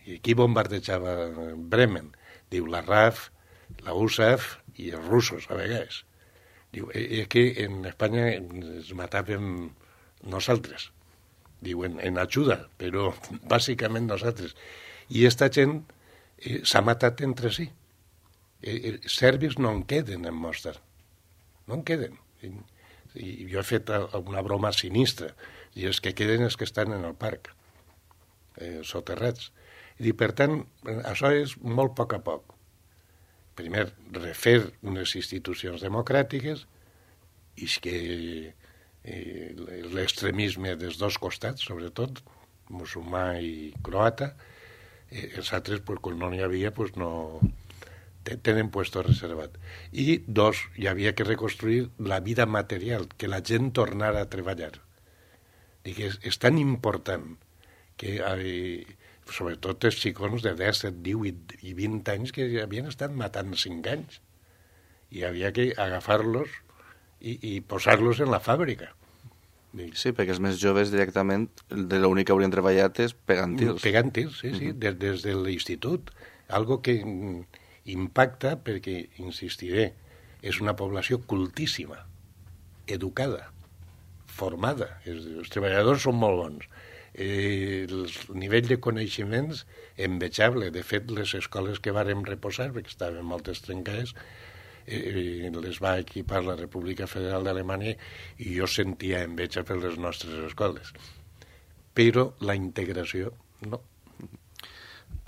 I qui bombardejava Bremen? Diu, la R A F, la U S A F i els russos, a vegades. Diu, és que en Espanya ens matàvem nosaltres. Diuen, en ajuda, però bàsicament nosaltres. I esta gent eh, s'ha matat entre si. Eh, eh, serbis no en queden en Mostar. No en queden. I, i jo he fet una broma sinistra. I els que queden és que estan en el parc, eh, soterrats. I per tant, això és molt a poc a poc. Primer, refer unes institucions democràtiques i que eh, l'extremisme dels dos costats, sobretot, musulmà i croata, eh, els altres, pues, quan no n'hi havia, pues, no tenen puesto reservat. I, dos, hi havia que reconstruir la vida material, que la gent tornara a treballar. I que és, és tan important que, eh, sobretot els xicons de disset, divuit i vint anys que havien estat matant cinc anys. I havia que agafar-los i, i posar-los en la fàbrica. Sí, perquè els més joves directament de l'únic que haurien treballat és pegant tirs. Pegant tirs, sí, sí, uh-huh. des, des de l'institut. Algo que impacta perquè, insistiré, és una població cultíssima, educada, formada. Els, els treballadors són molt bons. Eh, el nivell de coneixements envejable. De fet, les escoles que vàrem reposar, perquè estaven moltes trencades, eh, les va equipar la República Federal d'Alemanya i jo sentia enveja per les nostres escoles. Però la integració, no.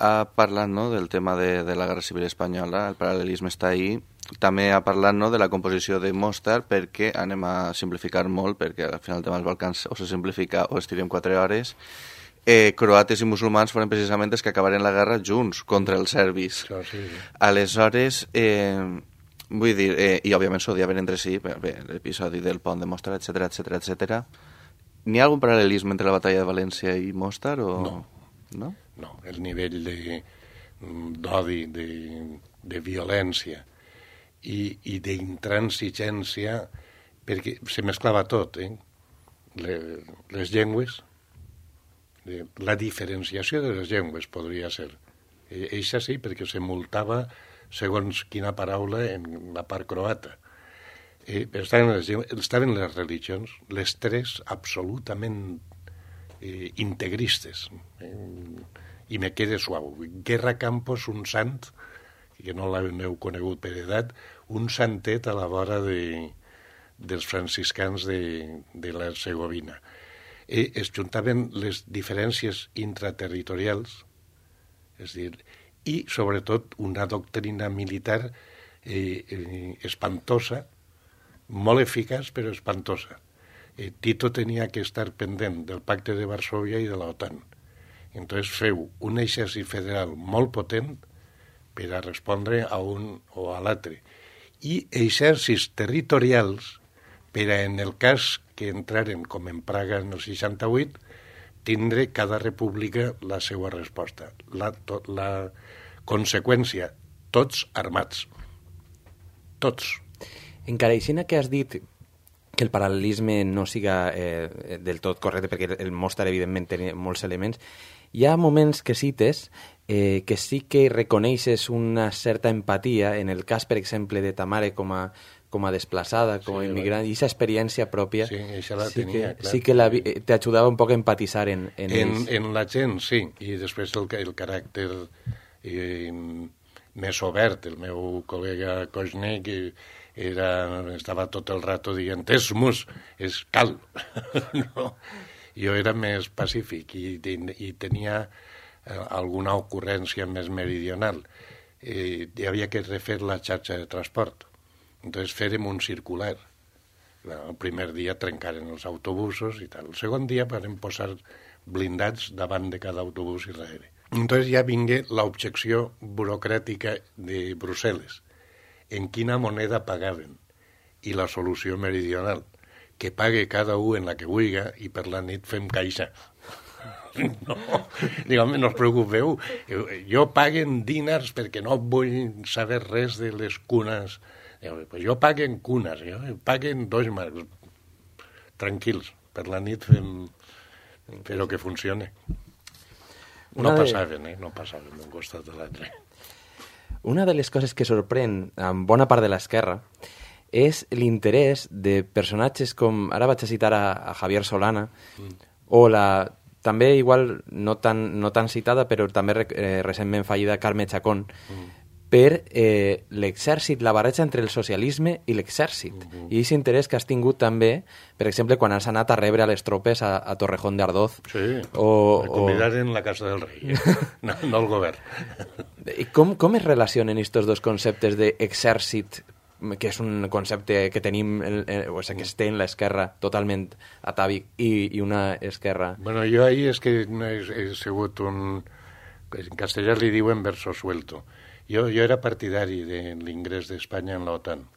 Ha parlat, no, del tema de, de la Guerra Civil Espanyola, el paral·lelisme està ahí. També ha parlat, no, de la composició de Mostar, perquè anem a simplificar molt, perquè al final el tema dels Balcans o se simplifica o estirem quatre hores. Eh, croates i musulmans foren precisament els que acabaren la guerra junts contra els serbis. Sí, sí, sí. Aleshores, eh, vull dir, eh, i òbviament s'odiaven entre si, bé, l'episodi del pont de Mostar, etcètera, etcètera, etcètera. N'hi ha algun paral·lelisme entre la batalla de València i Mostar? O... No. No? No, el nivell de, d'odi, de, de violència i, i d'intransigència, perquè se mesclava tot, eh? Les, les llengües, la diferenciació de les llengües podria ser. Eixa sí, perquè se multava segons quina paraula en la part croata. Eh, estaven, les, estaven les religions, les tres absolutament eh, integristes. Eh, I me queda suau. Guerra Campos, un sant, que no l'heu conegut per edat, un santet a la vora de, dels franciscans de, de la Segovina. Eh, es juntaven les diferències intraterritorials, és dir, i sobretot una doctrina militar eh, eh, espantosa, molt eficaç però espantosa. Eh, Tito tenia que estar pendent del pacte de Varsovia i de l'OTAN. Entonces feu un exèrcit federal molt potent per a respondre a un o a l'altre. I exèrcits territorials per a, en el cas que entraren, com en Praga en el seixanta-vuit, tindre cada república la seva resposta. La, to, la conseqüència, tots armats. Tots. Encara aixina que has dit que el paral·lelisme no siga eh, del tot correcte, perquè el mostre, evidentment, té molts elements, hi ha moments que cites eh, que sí que reconeixes una certa empatia, en el cas, per exemple, de ta mare com a, com a desplaçada, com a sí, immigrant, i aquesta experiència pròpia sí, això la sí tenia, que, clar. sí que la, te ajudava un poc a empatitzar en, en, en, ells. En la gent, sí, i després el, el caràcter eh, més obert. El meu col·lega Koźnek era, estava tot el rato dient esmus, és cal. No? Jo era més pacífic i, i, i tenia eh, alguna ocurrència més meridional. Eh, hi havia que refer la xarxa de transport. Entonces fèrem un circular. El primer dia trencaren els autobusos i tal. El segon dia vam posar blindats davant de cada autobús i darrere. Entonces ja vingué l'objecció burocràtica de Brussel·les. En quina moneda pagaven? I la solució meridional. Que pague cada un en la que vulga i per la nit fem caixa. No, digue, no us preocupeu, jo paguen dinars perquè no vull saber res de les cunes. Digue, pues jo paguen cunes, jo paguen dos marcs. Tranquils, per la nit fem... però que funcione. No de... passaven, eh? No passaven d'un costat a l'altre. Una de les coses que sorprèn en bona part de l'esquerra és l'interès de personatges com, ara vaig a citar a, a Javier Solana, mm. o la, també igual no tan, no tan citada, però també eh, recentment fallida Carme Chacón, mm. per eh, l'exèrcit, la barreja entre el socialisme i l'exèrcit. Mm-hmm. I aquest interès que has tingut també, per exemple, quan has anat a rebre a les tropes a, a Torrejón de Ardoz. Sí, o, me convidaren o... la Casa del Rei, eh? no, no el govern. I com, com es relacionen aquests dos conceptes d'exèrcit, que és un concepte que tenim, eh, o sigui, que es té en l'esquerra totalment atàvic, i, i una esquerra... Bueno, jo ahí és que no he, he sigut un... En castellà li diuen verso suelto. Jo, jo era partidari de l'ingrés d'Espanya en l'OTAN.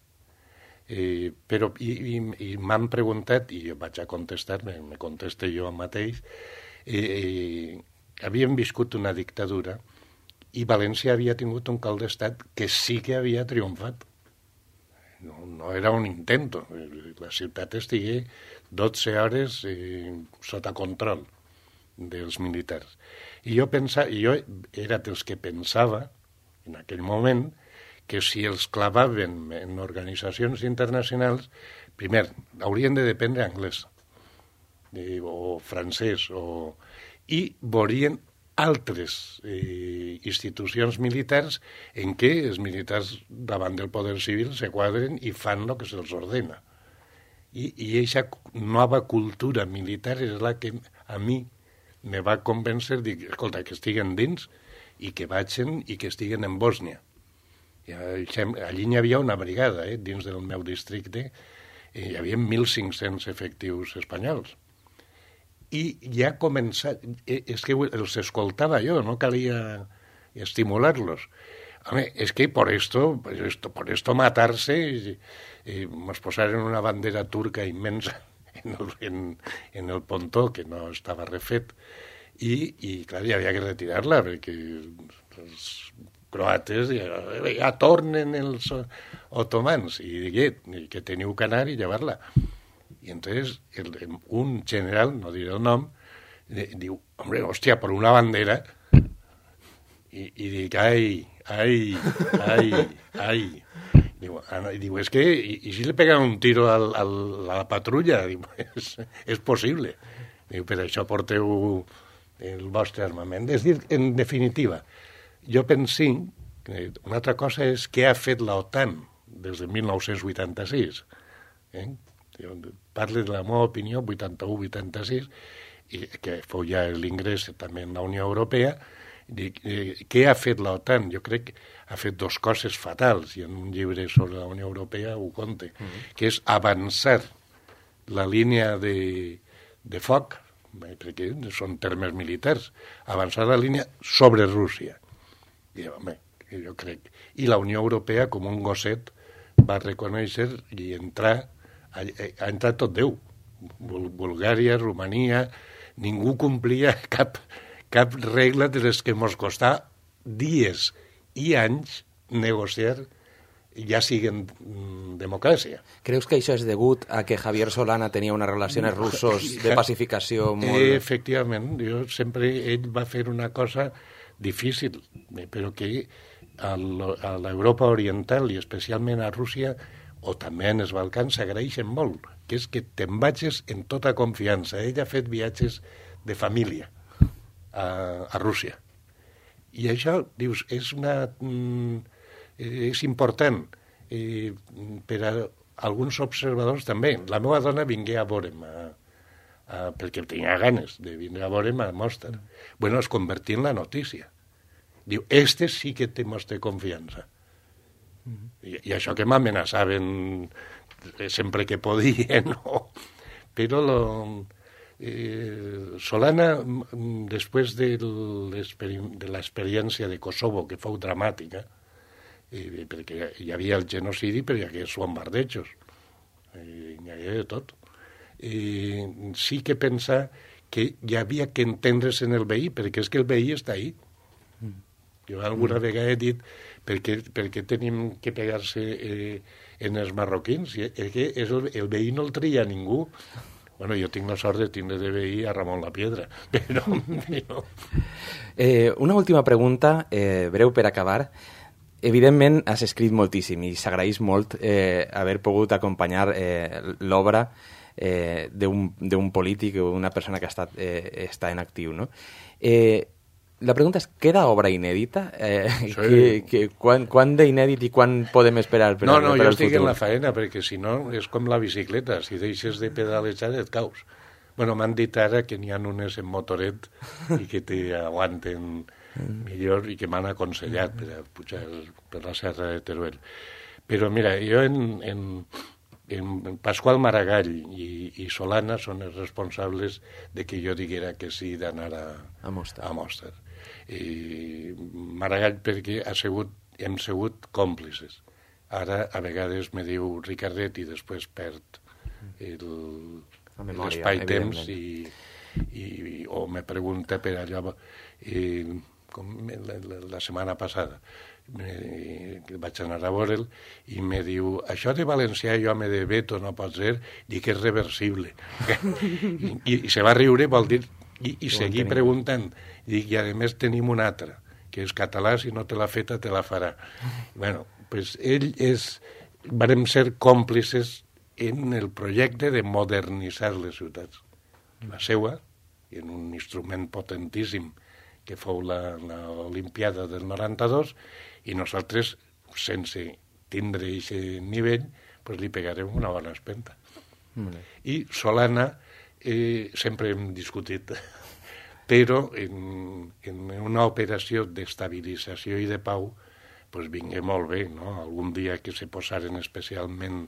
Eh, però i, i, i m'han preguntat, i jo vaig a contestar, me, me conteste jo mateix, eh, eh, havíem viscut una dictadura i València havia tingut un cap d'estat que sí que havia triomfat. No, no era un intento. La ciutat estigué dotze hores eh, sota control dels militars. I jo, pensava, jo era dels que pensava, en aquell moment, que si els clavaven en organitzacions internacionals, primer, haurien de dependre anglès, eh, o francès, o... i veurien altres eh, institucions militars en què els militars davant del poder civil se quadren i fan el que se'ls ordena. I aquesta nova cultura militar és la que a mi me va convèncer, dic, escolta, que estiguen dins i que vagin i que estiguen en Bòsnia. Allí hi havia una brigada, eh, dins del meu districte, hi havia mil cinc-cents efectius espanyols. I ja ha començat... És que els escoltava jo, no calia estimular-los. Home, és que por esto, por esto, por esto matarse, eh, nos posaron una bandera turca inmensa en el, en, en el pontó, que no estava refet, i, i clar, hi havia que retirar-la, perquè els croates ja, ja tornen els otomans, i digué, que teniu que anar i llevar-la. I entonces el, un general, no diré el nom, Diu, hombre, hòstia, per una bandera. I, i dic, ai, ai, ai, ai. Diu, ah, diu és que, i, i si le pegan un tiro al, al, a la patrulla? Diu, és, és possible. Diu, per això porteu el vostre armament. És dir, en definitiva, jo penso que una altra cosa és què ha fet l'OTAN des de mil nou-cents vuitanta-sis. Eh? Parle de la meva opinió, vuitanta-u vuitanta-sis, i que fou ja l'ingrés també en la Unió Europea. Dic, eh, què ha fet l'OTAN? Jo crec que ha fet dos coses fatals, i en un llibre sobre la Unió Europea ho conte, mm-hmm. que és avançar la línia de, de foc, perquè són termes militars, avançar la línia sobre Rússia. I, home, jo crec... I la Unió Europea, com un gosset, va reconèixer i entrar, ha, ha entrat tot Déu. Bulgària, Romania... Ningú complia cap, cap regla de les que ens costà dies i anys negociar, ja siguen mm, democràcia. Creus que això és degut a que Javier Solana tenia unes relacions russos de pacificació molt... Eh, efectivament, jo sempre ell va fer una cosa difícil, però que a l'Europa oriental i especialment a Rússia o també en els Balcans s'agraeixen molt, que és que te'n vagis en tota confiança. Ell ha fet viatges de família a, a Rússia. I això, dius, és una... Mm, és important eh, per a alguns observadors també. La meva dona vingué a veure'm, a, a, perquè tenia ganes de vindre a veure'm a Mostar. Bueno, es convertí en la notícia. Diu, este sí que té mostra confiança. I, i això que m'amenaçaven sempre que podien, no? Però lo, eh, Solana, després de l'experiència de Kosovo, que fou dramàtica, eh, perquè hi havia el genocidi, però hi havia els bombardejos, eh, hi havia de tot, eh, sí que pensa que hi havia que entendre's en el veí, perquè és que el veí està ahí. Jo alguna mm. vegada he dit per què, per què tenim que pegar-se eh, en els marroquins? És que és el, el veí no el tria ningú. Bueno, jo tinc la sort de tindre de veí a Ramon la Piedra, però... però... Eh, una última pregunta, eh, breu per acabar. Evidentment, has escrit moltíssim i s'agraeix molt eh, haver pogut acompanyar eh, l'obra eh, d'un polític o una persona que ha estat, eh, està en actiu, no? Eh, La pregunta és, queda obra inèdita? Eh, sí. que, que, quan quan d'inèdit i quan podem esperar per, no, no, per jo el estic futur? en la faena, perquè si no és com la bicicleta, si deixes de pedalejar et caus. Bueno, m'han dit ara que n'hi ha unes en motoret i que t'aguanten millor i que m'han aconsellat per a pujar per la serra de Teruel. Però mira, jo en, en, en Pasqual Maragall i, i Solana són els responsables de que jo diguera que sí d'anar a, a Mostar. A Mostar. I Maragall perquè ha sigut, hem sigut còmplices. Ara a vegades me diu Ricardet i després perd l'espai-temps i, i, o me pregunta per allò i, com la, la, la setmana passada me, vaig anar a veure'l i me diu, això de valencià i home de veto no pot ser, dic que és reversible. I, i se va riure, vol dir, i, i seguir preguntant. I, i a més tenim un altre, que és català, si no te l'ha feta, te la farà. Bueno, pues ell és... Vàrem ser còmplices en el projecte de modernitzar les ciutats. La seua, i en un instrument potentíssim, que fou l'Olimpiada del noranta-dos, i nosaltres, sense tindre aquest nivell, pues li pegarem una bona espenta. Mm. I Solana, eh, sempre hem discutit... però en, en una operació d'estabilització i de pau pues vingué molt bé, no? Algun dia que se posaren especialment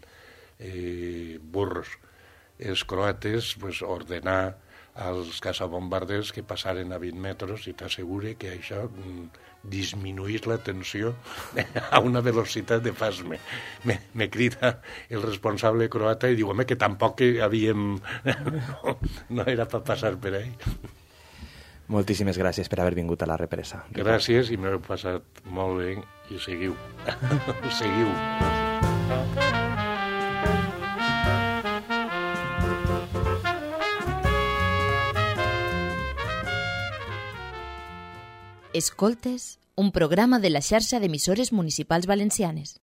eh, burros els croates, pues, ordenar als caçabombarders que passaren a vint metres i t'assegure que això mm, disminuís la tensió a una velocitat de fas. Me, me, me crida el responsable croata i diu, home, que tampoc que havíem... no, no era per passar per ahí. Moltíssimes gràcies per haver vingut a La Represa. Gràcies i m'heu passat molt bé i seguiu. Seguiu. Escoltes, un programa de la xarxa d'emissores municipals valencianes.